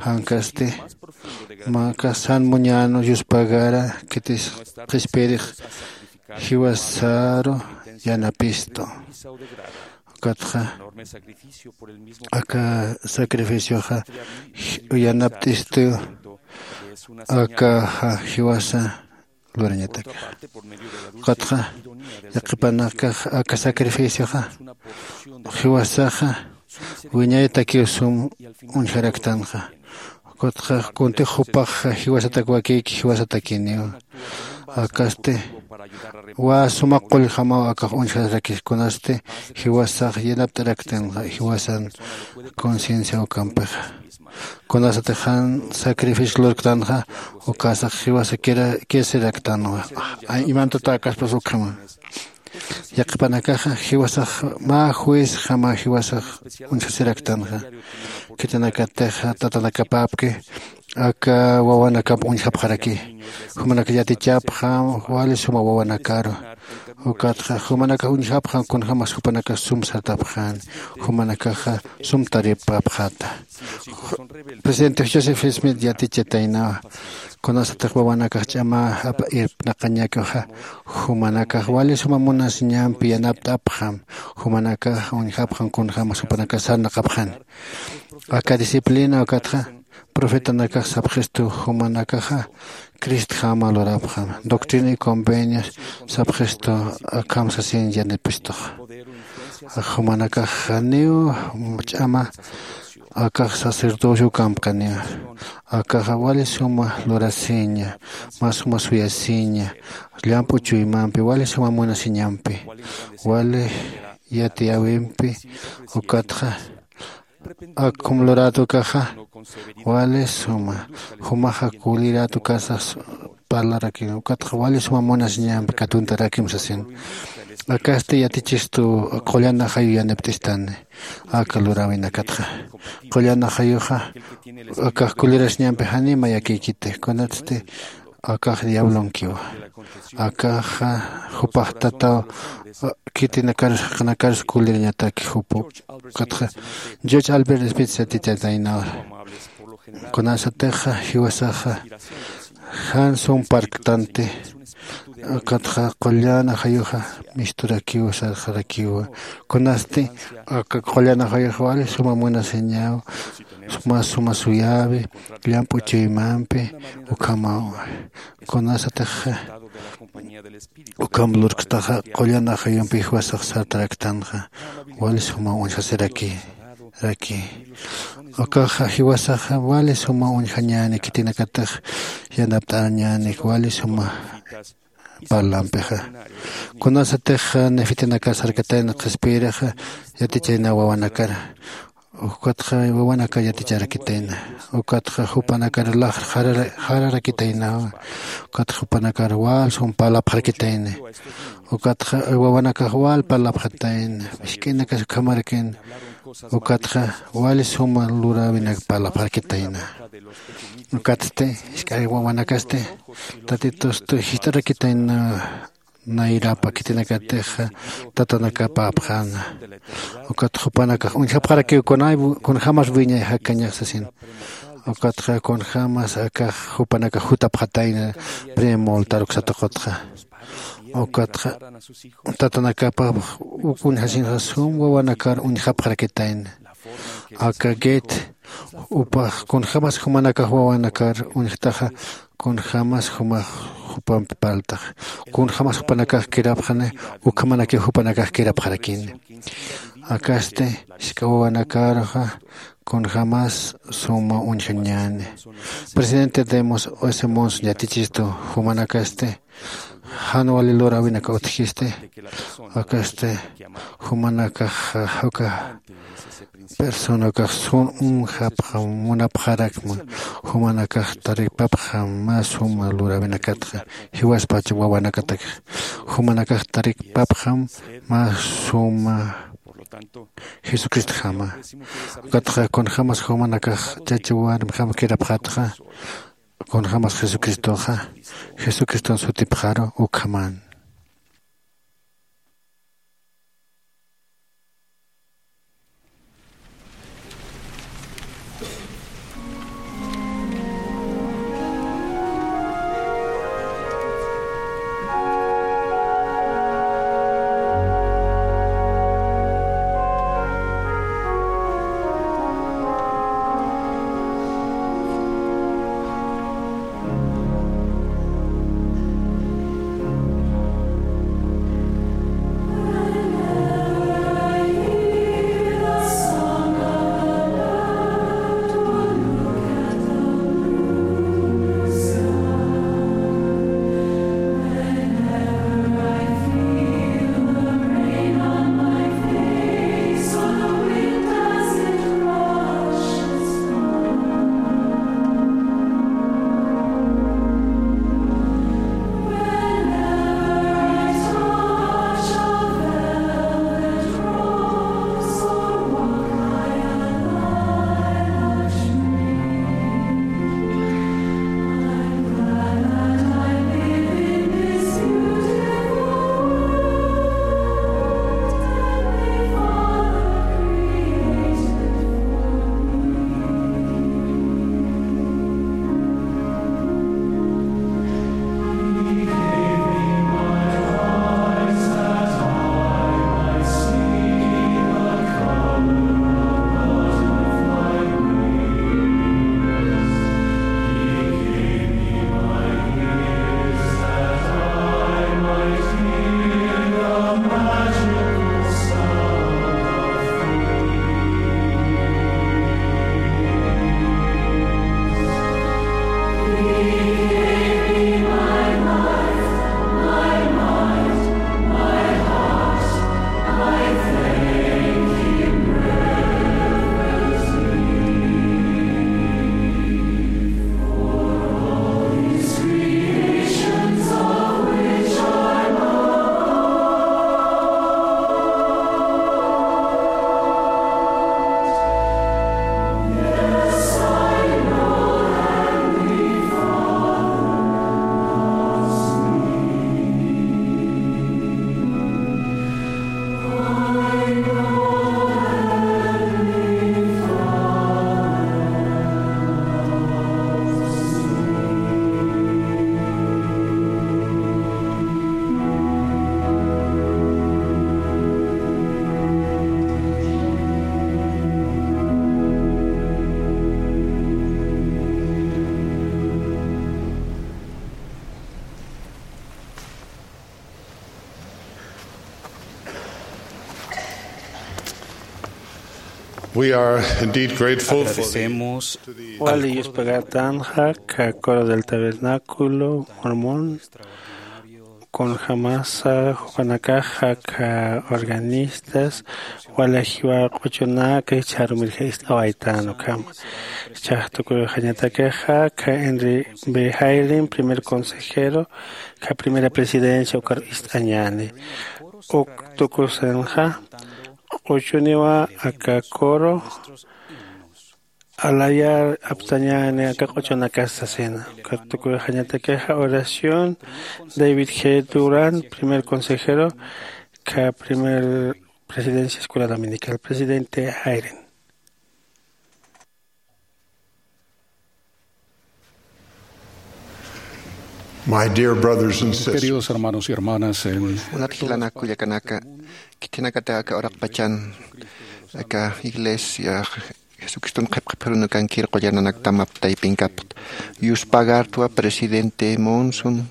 Jankasti mä kasan muñänu yuspagara khitis qhispirix jiwasaru yanapistu. Ukatxa aka sacrificioxa yanapt'istu. Akaxa jiwasa lurañataki. Ukatxa yaqhipanakax aka sacrificioxa jiwasaxa wiñayatakiw sum uñjaraktanxa. Ukatxa kuntix jupax jiwasatak wakïki jiwasatakiniw. Akasti wä suma qullxamaw akax uñjasaraki kunasti jiwasax yanapt'araktanxa jiwasan conciencia ukampixa. Kunasatix jan sacrificio lurktanxa ukasax jiwasa kirasiraktanwa. Imantatäkaspas ukhama yaqhipanakaxa jiwasax mä juezjama jiwasax uñjasiraktanxa. Khitinakatix tatanakapäpki aka wawanakamp uñjapxaraki. Jumanakax yatichapxam wali suma wawanakaru. Ukatxa jumanakax uñjapxam kunjämas jupanakax sum sartapxäni. Jumanakaxa sum taripapxäta. Presidente joseph smith yatichataynawa kunasatix wawanakax ch'ama irpnaqañakixa jumanakax wali suma munasiñampi yanapt'apxam. Jumanakax uñjapxam kunjämas jupanakax sarnaqapxäni. Aka disciplina ukatxa profetanakax sapxistu jumanakaxa cristjama lurapxam doctrina y convenios sapxistu akham sasin yanipistux. Jumanakax janiw ch'ama akax sacerdocio ukampkaniw. Akaxa wali suma lurasiña mä suma suyasiña llamp'u chuymampi wali suma munasiñampi wali yatiyäwimpi. Ukatxa akhum lurätukaxa wali suma jumaxa kulirätukasax parlarakin ukatxa wali suma munasiñampi katuntarakim sasin. Akasti yatichistu qullan ajayu yanipt'istani aka luräwinakatxa. Qullan ajayuxa akax kulirasiñampi janima yakïkiti kunatsti akax diablonkiwa. Akaxa jupax tataw khitinakarus jaqinakarus kulirañataki jupu. Ukatxa george albert spitz yatitataynawa kunasatixa jiwasaxa jan sum parktanti. Ukatxa qullan ajayuxa misturakiwa sarxarakiwa. Kunasti aka qullan ajayuxa wali suma munasiñaw suma suma suyäwi llamp'u chuymampi ukhamaw. Kunasatix ukham lurktaxa qullan ajayumpi jiwasax sartaraktanxa wali suma uñjasiraki raki. Ukaxa jiwasaxa wali suma uñjañäni khitinakatix yanapt'añäni wali suma parlampixa. Kunasatix nefitinakar sarkatayna qhispiyirixa yatichayna wawanakar ukatxa wawanakar yaticharakitayna. Ukatxa jupanakar laxr jararakitaynawa. Ukatxa jupanakar wal sum parlapxarakitayna. Ukatxa wawanakax wal parlapxatayna misk'inakas ukhamarakin. Ukatxa wali suma luräwinak parlapxarakitayna. Ukatsti jisk'ay wawanakasti tatitusti jist'arakitayna. nayrapa khitinakatixa tatanakapäpxäna. Ukat jupanakax uñjapxarakiw kunay kunjämas wiñay jakañax sasin. Ukatxa kunjämas akax jupanakax jutapxatayna, primo altar uksataqutxa. Ukatxa tatanakapax uk uñjasinxa sum wawanakar uñjapxarakitayna. Aka get upax kunjämas jumanakax wawanakar uñjtaxa, kunjämas jumax jupampi parltaxa, kunjämas jupanakax kirapxani, ukhamanakiw jupanakax kirapxarakini. Akasti jisk'a wawanakaruxa kunjämas suma uñjañäni. Presidente Demos S. Monson yatichistu jumanakasti jan wali luräwinaka utjisti. Akasti jumanakax uka personakax sum uñjapxam munapxarakma, jumanakax taripapxam mä suma luräwinakatxa, jiwaspacha wawanakatakxa. Jumanakax taripapxam mä suma Jesucristjama. Ukatxa kunjämas jumanakax chacha warmjam kirapxätxa, kunjämas Jesucristoxa, Jesucriston sutipxaru ukhaman. We are indeed grateful for the Agradecemos al Wali coro de yuspagatänxa, aka coro del tabernáculo mormón, kunjämasa jupanakaxa, aka organistas, wali jiwa q'uchunaka jichharumirja ist'awaytän ukhama. Jichhax tukuxañatakaxa, aka Henry B. Haylin, primer consejero, aka primera presidencia ukar ist'añäni. Uk tukusanxa, q'uchuniwa aka coro alayar aptañäni aka q'uchunakasa sasina. Ukat tukuyxañatakixa oración David G. Durán, primer consejero, ka primer presidencia Escuela Dominical, presidente Jairen. My dear brothers and sisters, queridos hermanos y hermanas, en Munat jilanak kullakanaka, khitinakata aka uraqpachan aka iglesia Jesucriston qhipqhiphirunakan kirqullananaktam aptaypinkapxta. Yuspagartwa presidente Monson,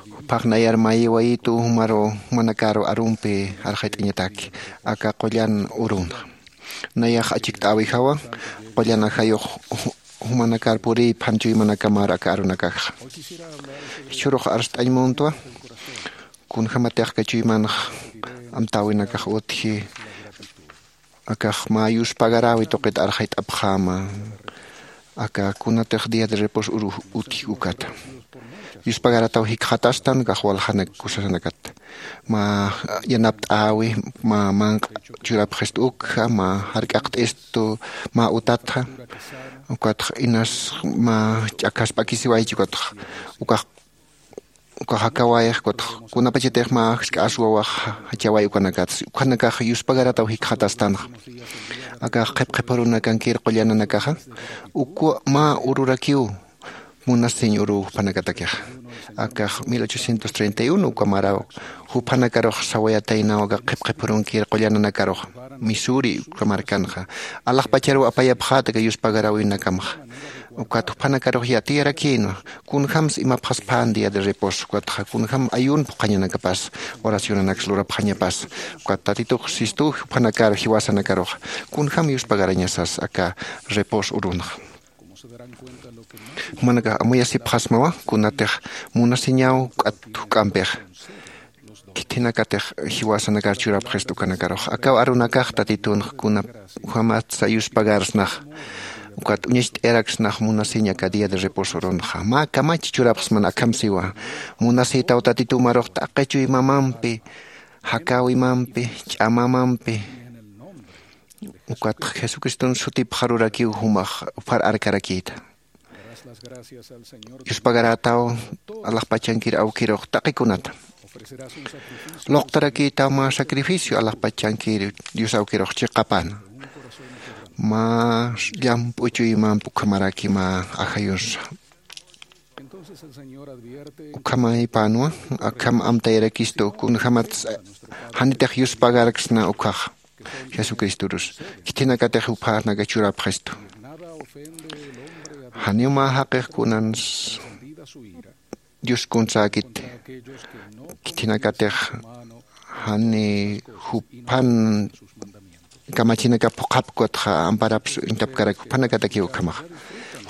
juphax nayar mayiwayitu jumaru, jumanakaru arumpi arxayt'añataki aka qullan urunxa. Nayax achikt'äwijawa qullan ajayux ju-, jumanakar puriy phanchuymanakamäru aka arunakaxa. Jichhürux arst'añ muntwa, kunjämatix aka chuymanx amtäwinakax utji, akax mä yuspagaräwi tuqit arxayt'apxäma, aka kunatix día de reposo uru utji ukata. Yuspagarataw jikxatastan kax waljanak kusasanakat. Mä yanapt'äwi, mä manq'a churapxistu ukja, mä jark'aqt'istu, mä utatxa, ukatx inas mä ch'akhas p'akisiwaychi ukatx, ukax, ukax akawayx, ukatx kunapachatix mä jisk'a aswawax jachaway ukanakatsi. Ukanakax yuspagarataw jikxatastanxa. Akax qhipqhiphirunakan kirqullananakaxa, ukwa mä ururakiw, munasiñ uruw juphanakatakixa. Akax mil ochocientos treinta y uno uka maraw juphanakarux sawayataynaw aka qhipqhiphirun kirqullananakarux, Missouri uka markanxa. Alaxpacharuw apayapxäta aka yuspagaräwinakamxa. Ukat juphanakarux yatiyarakïnwa, kunjams imapxaspän día de reposo, ukatxa kunjam ayuno phuqhañanakapas, oracionanaks lurapxañapas. Ukat Tatitux sistu juphanakar jiwasanakaruxa, kunjam yuspagarañasas aka reposo urunxa. Jumanakax amuyasipxasmawa, kunatix munasiñaw k'at juk'ampix khithinakatix jiwasanakar churapxistu ukanakarux. Akaw arunakax Tatitunx kunjamatsa yuspagarsnax, ukat uñacht'ayaraksnax munasiñ aka día de reposo urunxa. Mä kamach churapxsman akham siwa, munasïtaw Tatitu marux taqi chuymamampi, jakäwimampi, ch'amamampi, ukatx Jesucriston sutipxarurakiw jumax uphar arkarakïta. Yuspagarätaw alaxpachankir awkirux taqi kunata. Luqtarakïtaw mä sacrificio alaxpachankir Dios awkirux chiqapana. Mä llamp'u chuymamp ukhamaraki mä ajayusa. Ukhamaypänwa, akham amtayarakistu, kunjämats janitix yuspagarksna ukhax Jesucristorus. Khithinakatix juphanaka churapxistu. Janiw mä jaqix kunans Dios kunsäkiti. Khithinakatix jani juphan kamachinakap phuqhapkatxa amparaps uñtapkarak juphanakatakiw ukhamaxa.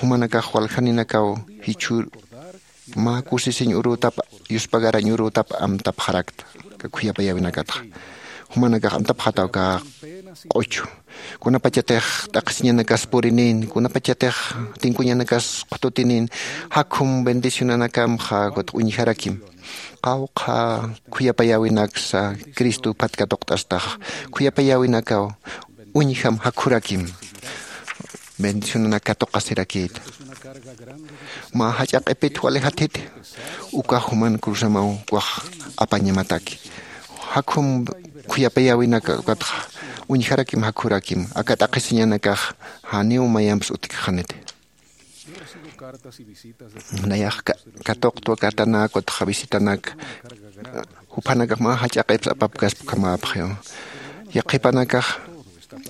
Jumanakax waljaninakaw jichhür mä kusisiñ urütap, yuspagarañ urütap amtapxarakta, aka khuyapayäwinakatxa. Jumanakax amtapxätaw aka q'uchu. Kunapachatix t'aqhisiñanakas purinin, kunapachatix tinkuñanakas qhututinin, jakhum bendicionanakamxa ukat uñjarakim. Qawqha khuyapayäwinaksa Cristo phat katuqt'astaxa. Khuyapayäwinakaw uñjam jakhurakim. Bendicionanak katuqasirakïta. Mä jach'a q'ipit wali jathiti, ukax juman cruzamaw ukax apañamataki. Jakhum khuyapayäwinaka ukatxa uñjarakim jakhurakim, aka t'aqhisiñanakax janiw mayamps utjkxaniti. Nayax ka-, katuqtwa cartanak, ukatxa visitanak, juphanakax mä jach'a q'ips apapkaspa ukhamäpxiw. Yaqhipanakax,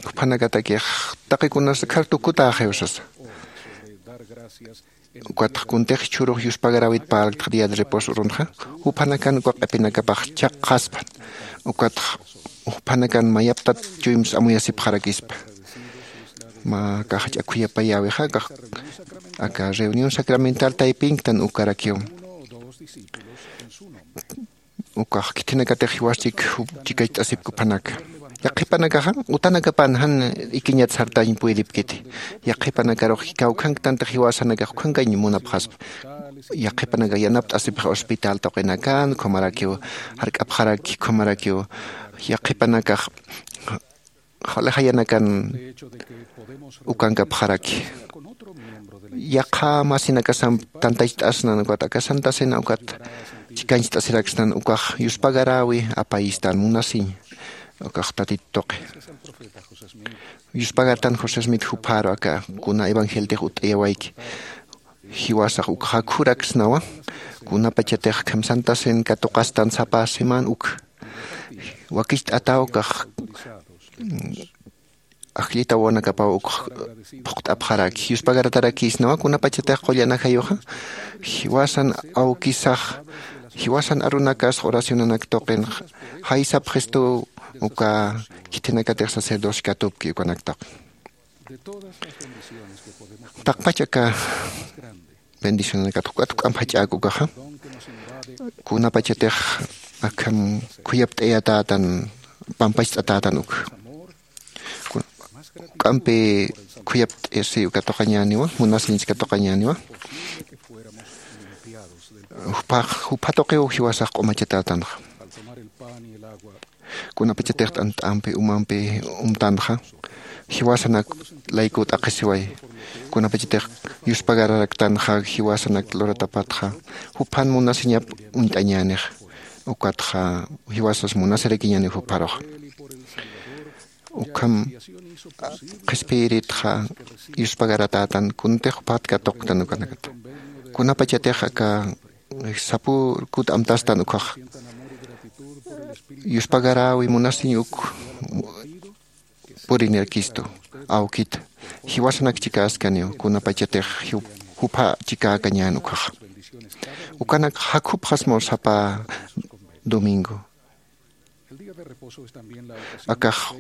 juphanakatakix, taqi kunas akhar tukutäxiw sasa. Ukatxa kuntix jichhürux yuspagaräwit parlktxa día de reposo urunxa, juphanakan uka q'ipinakapax chhaqxaspan. Ukatxa juphanakan mayaptat chuyms amuyasipxarakispa. Mä aka jach'a khuyapayäwixa, aka, aka reunión sacramental taypinktan ukarakiw. Ukax khithinakatix jiwas chik, chikacht'asipki juphanaka. Yaqhipanakaxa utanakapan jan ikiñat sartañ puydipkiti. Yaqhipanakarux kawkhanktantix jiwasanakax ukhankañ munapxaspa. Yaqhipanakax yanapt'asipxi hospital tuqinakan, ukhamarakiw jark'apxaraki, ukhamarakiw yaqhipanakax jawlixayanakan ukankapxaraki. Yaqha masinakasamp tantacht'asnan ukat aka Santa Cena ukat chikancht'asiraksnan ukax yuspagaräwi apayistan munasiñ. Ukax Tatit tuqi yuspagartan José Smith jupharu aka kuna evangeltix ut'ayawayki. Jiwasax ukxa khuraksnawa. Kunapachatix kham Santa Cena katuqastan sapa semana uk wakicht'ataw ukax ajllita wawanakapaw uk phuqt'apxaraki yuspagaratarakïsnawa. Kunapachatix qullan ajayuxa jiwasan awkisax jiwasan arunakas oracionanak tuqin jaysapxistuw uka khithinakatix sacerdocio katupki ukanak tuqi. Taqpach aka bendicionanakat juk'at juk'amp jach'äk ukaxa kunapachatix akham khuyapt'ayatätan pampacht'atätan uk juk'ampi khuyapt'isi uka tuqañäniwa munasiñchi uka tuqañäniwa. Jupha jupha tuqiw jiwasax q'umachatätanxa. Kunapachatix t'ant'ampi umampi umtanxa jiwasanak layku t'aqhisiway. Kunapachatix yuspagararaktanxa jiwasanak luratapatxa juphan munasiñap uñt'añänix. Ukatxa jiwasas munasirakiñäni jupharuxa ukham qhispiyiritxa yuspagaratätan kuntix juphat katuqtan ukanakata. Kunapachatix aka sapürkut amtastan ukhax yuspagaräwi munasiñ uk purinirakistu awkita jiwasanak chikäskaniw kunapachatix jupha chikäkañän ukhaxa. Ukanak jakhupxasmaw sapa domingo akax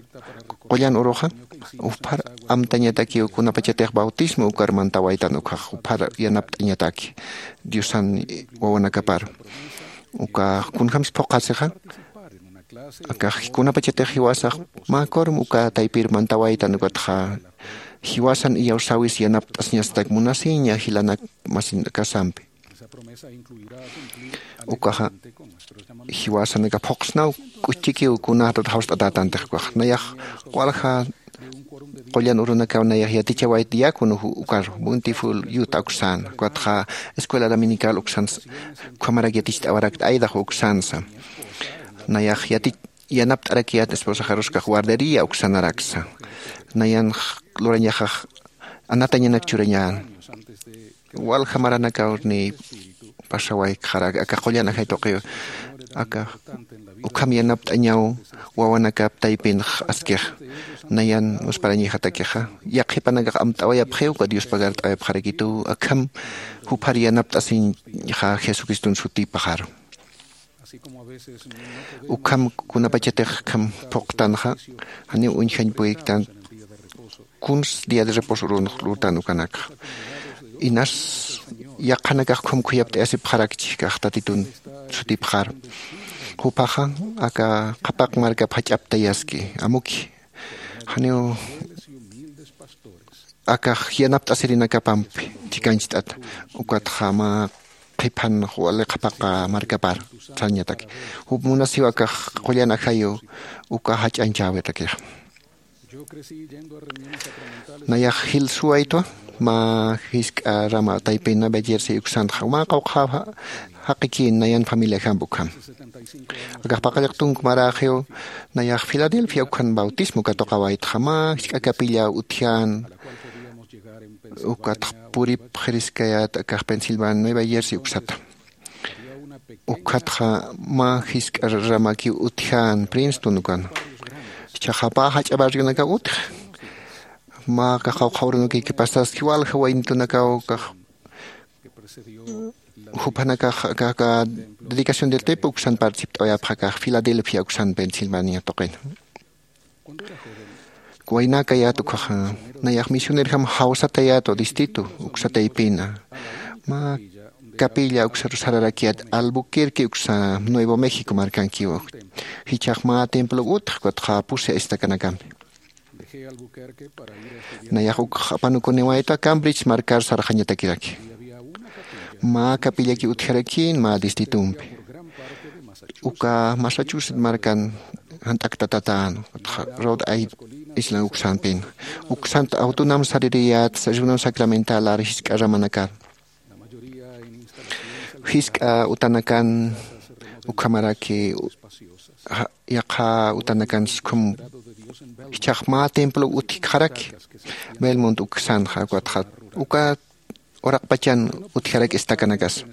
qullan uruxa juphar amtañatakiw kunapachatix bautismo ukar mantawaytan ukhax juphar yanapt'añataki diosan wawanakapar. Ukax kunjämsa phuqhasixa akax kunapachatix jiwasax mä kurum uka taypir mantawaytan ukatxa jiwasan iyawsäwis yanapt'asiñasatak munasiña jilanak masinakasampi. Ukaxa jiwasanaka phuqsnaw k'uchchikiw kunätat jawst'atätantix ukax nayax walja qullan urunakaw nayax yatichawayt diácono ukar bountiful yuta uksan ukatxa escuela dominical uksan ukhamarak yaticht'awarakta aydax uksansa. Nayax yatich yanapt'arakiyät esposaxaruskax guardería uksanaraksa. Nayan lurañaxax anatañanak churañän walja maranakaw ni pasawaykxarak aka qullan ajay tuqiw aka ukham yanapt'añaw wawanakap taypinx askix. Nayan musparañixatakixa yaqhipanakax amt'awayapxiw uka diospagart'awayapxarakituw akham juphar yanapt'asiñxa jesucriston sutipaxaru. Ukham kunapachatix kham phuqtanxa janiw uñjañ puyiktan kuns día de reposo urunx lurtan ukanakxa inas yaqhanakax khum khuyapt'ayasipxarakchi kax tatitun sutipxar. Juphaxa aka qhapaq markap jach'aptayaski amuki janiw akax yanapt'asirinakapampi chikancht'ata. Ukatxa mä qhiphan wali qhapaqa markapar sañataki jup munasiw akax qullan ajayu uka jach'añchäwitakixa. Nayax jilsuwaytwa mä jisk'a rama taypina bellirsi uksanxa mä qawqha jaqikïn nayan familiajamp ukham. Akax paqallaq tunku maräxiw nayax filadelfia ukhan bautismo katuqawaytxa mä jisk'a capilla utjän ukatx purip qhiriskayät akax pensilvania nueva jersey uksata. Ukhatxa mä jisk'a ramakiw utjän princeton ukan. Chaxapä jach'a barrionakaw utji mä kaxaw qhawrunukiki pasaski walja waynitunakaw kax juphanakax aka dedicación del tempo uksan participt'awayapxakax filadelfia uksan pensilvania tuqina. Waynäkayät ukhaxa nayax misionerjam jawsatayätwa distrito uksataypina mä capilla uksaru sararakiyät albuquerque uksa nuevo méxico markankiw. Jichhax mä templo utji ukatxa pusi aystakanakampi. Nayax ukx apanukuniwaytwa cambridge markar sarxañatakiraki. Mä capillaki utjarakïn mä distritumpi uka massachusetts markan jant'aktatatän rhode islan uksampin. Uksant awtunam saririyät reunión sacramental ar jisk'a ramanakar, jisk'a utanakan ukhamaraki yaqha utanakan skhum jichhax mä templo utjkxaraki. Belmont uksanxa ukatxa uka uraqpachan utjaraki estacanakasa.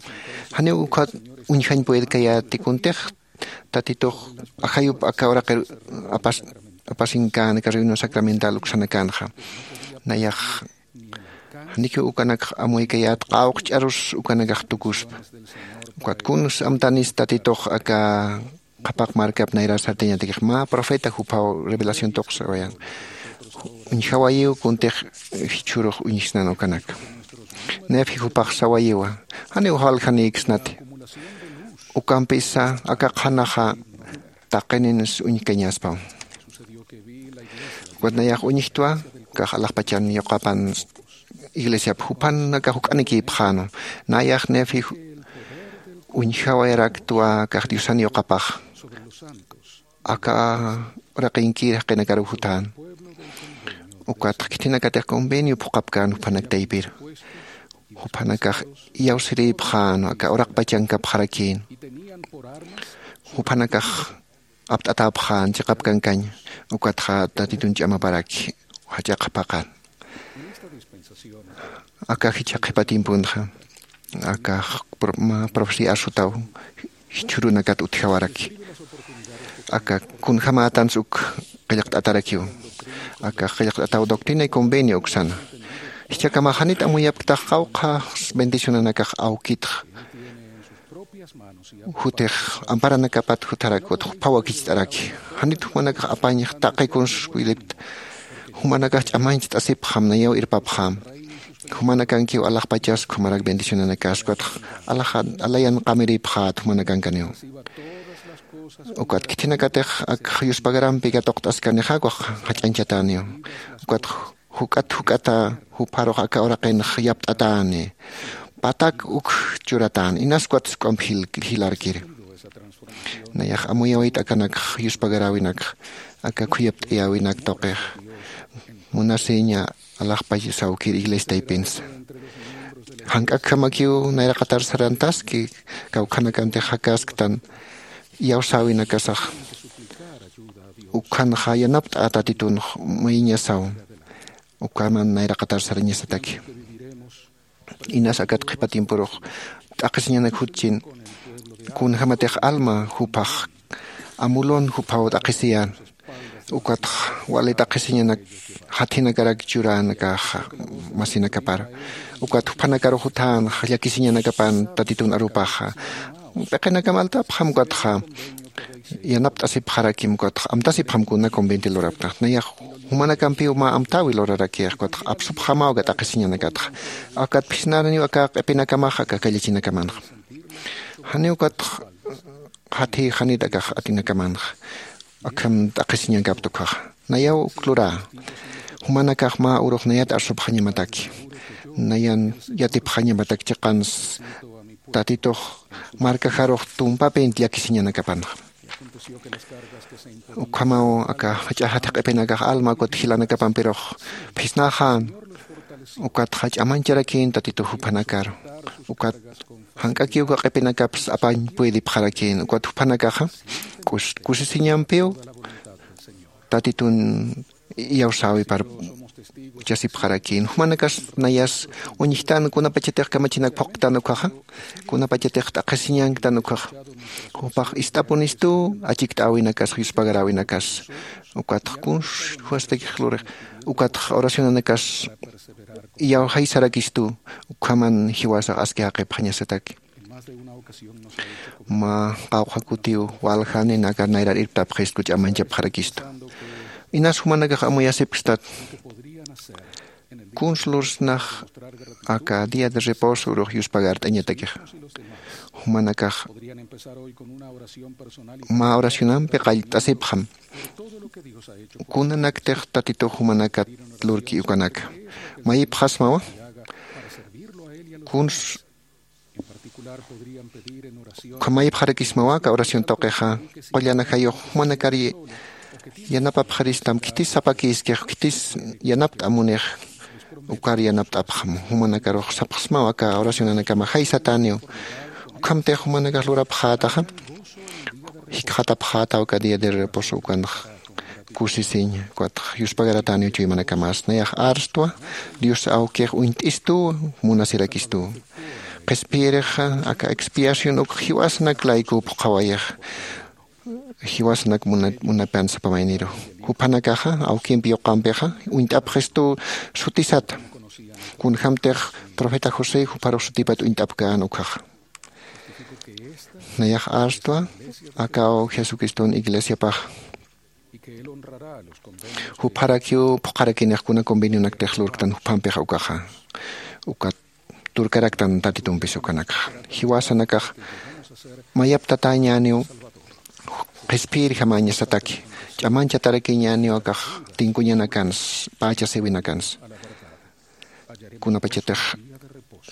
Janiw ukhat uñjañ puedkayäti kuntix tatitux ajayup aka uraqir apasinkäna aka reunión sacramental uksanakanxa. Nayax janikiw ukanakx amuykayät qawqch'arus ukanakax tukuspa. Ukat kuns amtanis tatitux aka qhapaq markap nayrar sartañatakix mä profeta juphaw revelación tuqsawayan. Uñjawayiw kuntix jichhürux uñjsnan ukanaka. Nefi jupax sawayiwa, janiw waljanïksnati. Ukampisa aka qhanaxa taqinins uñjkañaspaw. Ukat nayax uñjtwa kax alaxpachan yuqapan iglesiap jupanakax juk'anikïpxänu. Nayax nefi uñjawayaraktwa kax diosan yuqapax aka uraqinkir jaqinakaruw jutän. Ukatx khithinakatix convenio phuqhapkän juphanak taypir. Juphanakax iyawsirïpxän aka uraqpachankapxarakïn. Juphanakax apt'atäpxän chiqap kankañ. Ukatxa tatitun ch'amaparaki jach'a qhapaqan. Aka jichha qhipa tiemponxa aka profecía arsutaw jichhürunakat utjawaraki. Aka kunjämätans uk qillqt'atarakiw. Aka qillqt'ataw doctrina y convenio uksana. Jichhakamax janit amuyapktax qawqha bendicionanakax awkitx jutix amparanakapat jutharak ukat juphaw wakicht'araki. Janit jumanakax apañx taqi kuns wilipkta. Jumanakax ch'amañcht'asipxam nayaw irpapxam. Jumanakankiw alaxpachas ukhamarak bendicionanakas ukatx alaxa alayan qamirïpxät jumanakankaniw. Ukat khithinakatix ak yuspagarampi katuqt'askanixa ukax jach'añchatäniw. Ukat juk'at juk'ata jupharux aka uraqinx yapt'atäni. Patak uk churatäni inas ukat suk'amp jilarkiri. Nayax amuyawayt akanakx yuspagaräwinakx aka khuyapt'ayäwinak tuqix munasiña alaxpach sawkir iglesia taypinsa. Jank'akjamakiw nayraqatar sarantaski kawkhanakantix jakasktan iyawsäwinakasax. Ukhanxa yanapt'a tatitunx mayiñasaw. Ukaman nayraqatar sarañasataki. Inas akat qhipa tiemporux t'aqhisiñanak jutchin kunjämatix alma juphax amulon juphaw t'aqhisiyän. Ukatx wali t'aqhisiñanak jathinakarak churänakaxa masinakapar ukat juphanakaru jutänxa llakisiñanakapan tatitun arupaxa. P'iqinakam altapxam ukatxa yanapt'asipxarakim ukatx amtasipxam kuna conventi lurapktax nayax jumanakampiw mä amtäwi lurarakix ukatx apsupxamaw aka t'aqhisiñanakatxa. Akat phisnaraniw aka q'ipinakamax aka kallachinakamanxa. Janiw ukatx jathiy janit akax atinakamanxa. Akham t'aqhisiñankapta ukhaxa nayaw uk lurä. Jumanakax mä urux nayat arsupxañamataki nayan yatipxañamataki chiqans tatitux markajarux tumpapin llakisiñanakapanxa. Ukhamaw aka jach'a jathiq'ipinakax alma ukat jilanakapampirux phisnäxän. Ukatxa ch'amañcharakïn tatitux juphanakar ukat jank'akiw uka q'ipinakaps apañ puedipxarakïn ukat juphanakaxa kusisiñampiw tatitun iyawsäwipar uchasipxarakïn. Jumanakas nayas uñjtan kunapachatix kamachinak phuqtan ukhaxa kunapachatix t'aqhisiñanktan ukhaxa jupax ist'apunistu achikt'äwinakas yuspagaräwinakas. Ukatx kuns juwastakix lurix ukatx oracionanakas iyawjaysarakistu ukhaman jiwasax aski jaqipxañasataki. Mä qawqha kutiw waljanin aka nayrar irptapxistku ch'amañchapxarakistu. Inas jumanakax amuyasipkstat kuns lursnax aka día de reposo urux yuspagart'añatakixa. Jumanakax mä oracionampi qallt'asipxam kunanaktix tatitux jumanakat lurki ukanaka. Mayipxasmawa kuns ukhamayipxarakismawa aka oración tuqixa qullan ajayux jumanakar Yanapapxaristam khitis sapakïskix, khitis yanapt'amunix. Ukar yanapt'apxam jumanakarux sapxsmaw aka oracionanakama jay satäniw. Ukhamtix jumanakax lurapxätaxa, jikxatapxätaw aka día de reposo ukanx kusisiñ, ukatx yuspagaratäniw chuymanakamas. Nayax arstwa Dios awkix uñt'istuw, munasirakistuw. Qhispiyirixa aka expiación uk jiwasanak layku phuqhawayix, jiwasanak muna- munapan sapa mayniru. Juphanakaxa awkimpi yuqampixa uñt'apxistuw sutisata. Kunjämtix profeta José jupharux sutipat uñt'apkän ukhaxa. Nayax arstwa akaw Jesucriston iglesiapax. Jupharakiw phuqharakinix kuna convenionaktix lurktan juphampixa ukaxa. Ukat turkaraktan Tatitumpis ukanakax. Jiwasanakax mayaptatäñäniw qhispiyirjamañasataki, ch'amañchatarakiñäniw akax tinkuñanakans, pächasiwinakans. Kunapachatix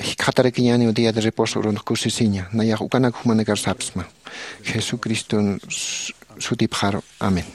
jikxatarakiñäniw día de reposo urunx kusisiña, nayax ukanak jumanakar sapsma. Jesucriston s- sutipxaru. Amén.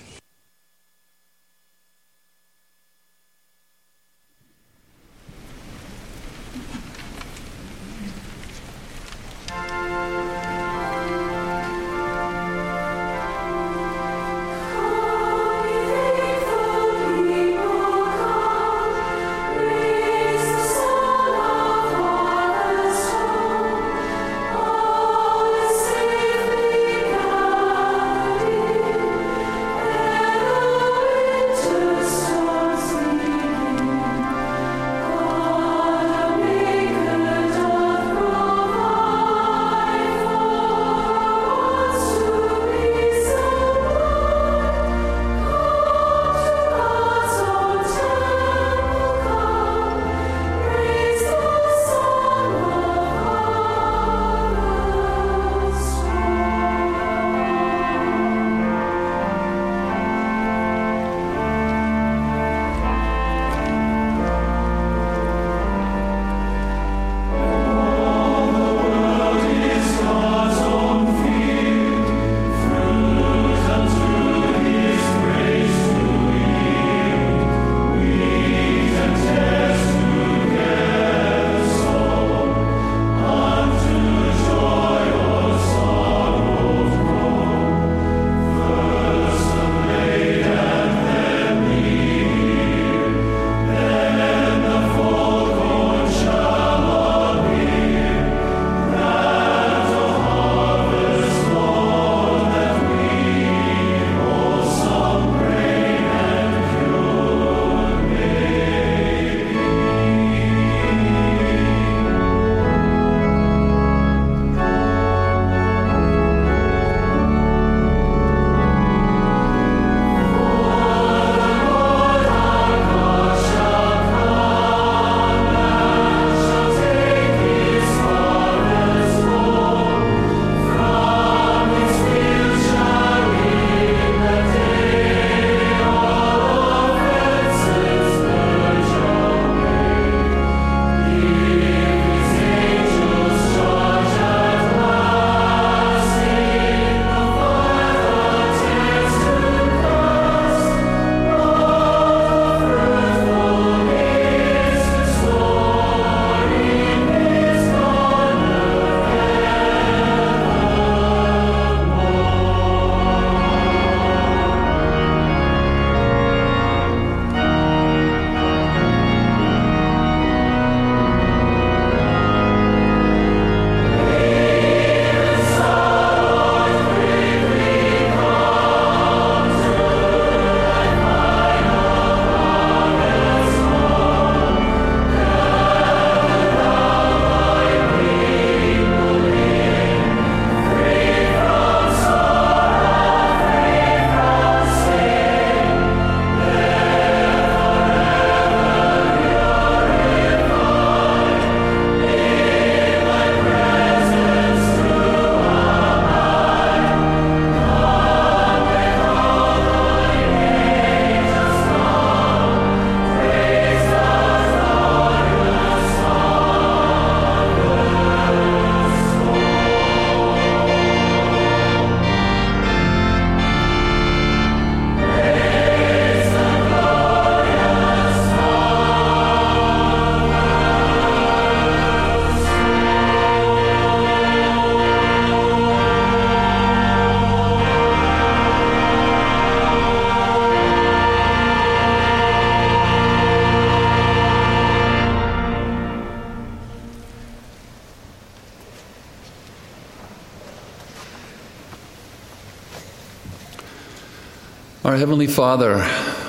Our Heavenly Father,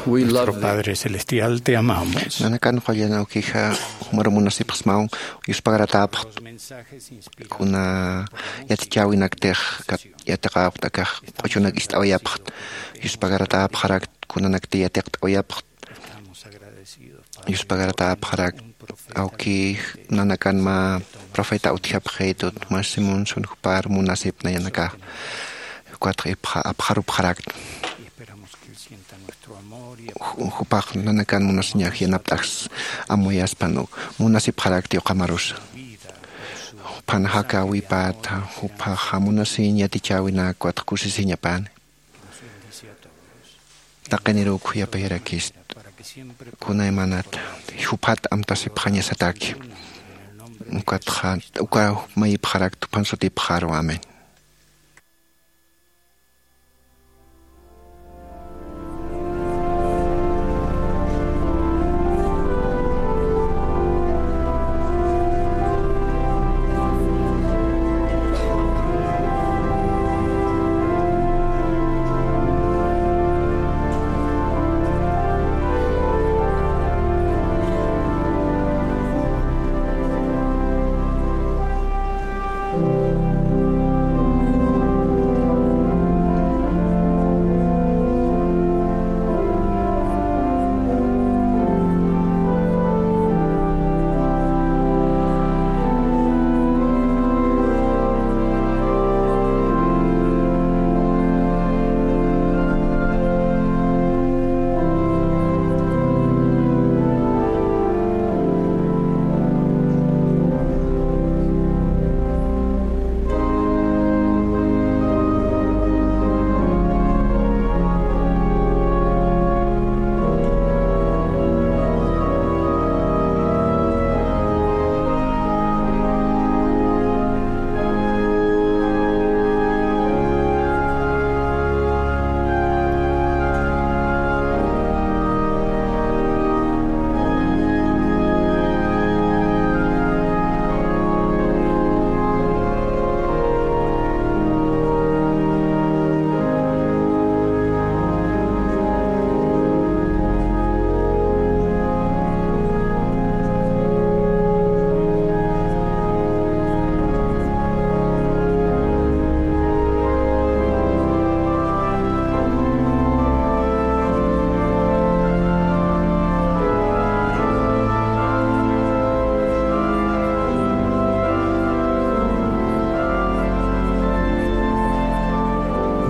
we love Nuestro thee. Padre Celestial, te amamos. Nanakan qullan awkija, jumar munasipxsmaw, yuspagaratäpxt. Kuna yatichäwinaktix kat-, yatiqäwt akax q'uchunak ist'awayapxt. Yuspagaratäpxarakt, kunanaktix yatiqt'awayapxt. Yuspagaratäpxarakt, awkix nanakan mä profeta utjapxitut, masimun sun jupar munasip nayanakax. Ukatxa ipxa-, apxarupxarakt. Ju-, jupax nanakan munasiñax yanapt'ax amuyaspan munasipxarakti uqamarusa. Jupan jakawipata, jupax munasiñ yatichäwinak ukatxa kusisiñapani. Taqiniruk juyapayarakist. Kunaymanat juphat amtasipxañasataki. Ukatxa, uka mayipxarakta jupan sutipxaru. Amén.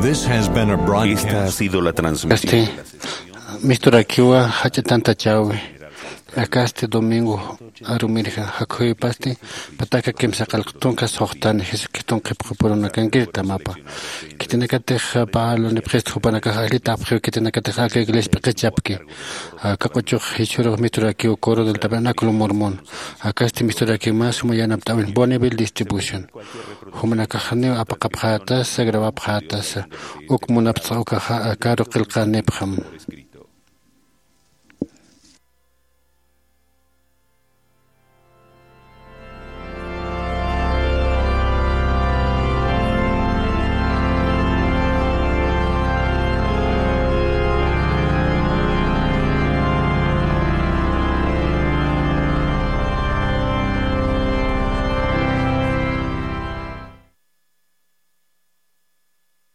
This has been a broadcast. Esta ha sido la transmisión. Este, misturakiwa jach'a tantachäwi. Akasti domingo arumirja, jakhuypasti pataka kimsa qillq tunka suxtani Jesucriston qhipxapurunakankitamapa. Khitinakatix Pablo nipxista jupanakax allitäpxiw, khitinakatix aka iglesia p'iqichapki. Aka q'uchux jichhürux misturakiw Coro del Tabernáculo Mormón. Akasti misturakiw mä suma yanapt'äwin Bonneville Distribution. Jumanakax janiw apaqapxätasa, grabapxätasa. Uk munapt'xa ukaxa karu qillqänipxam.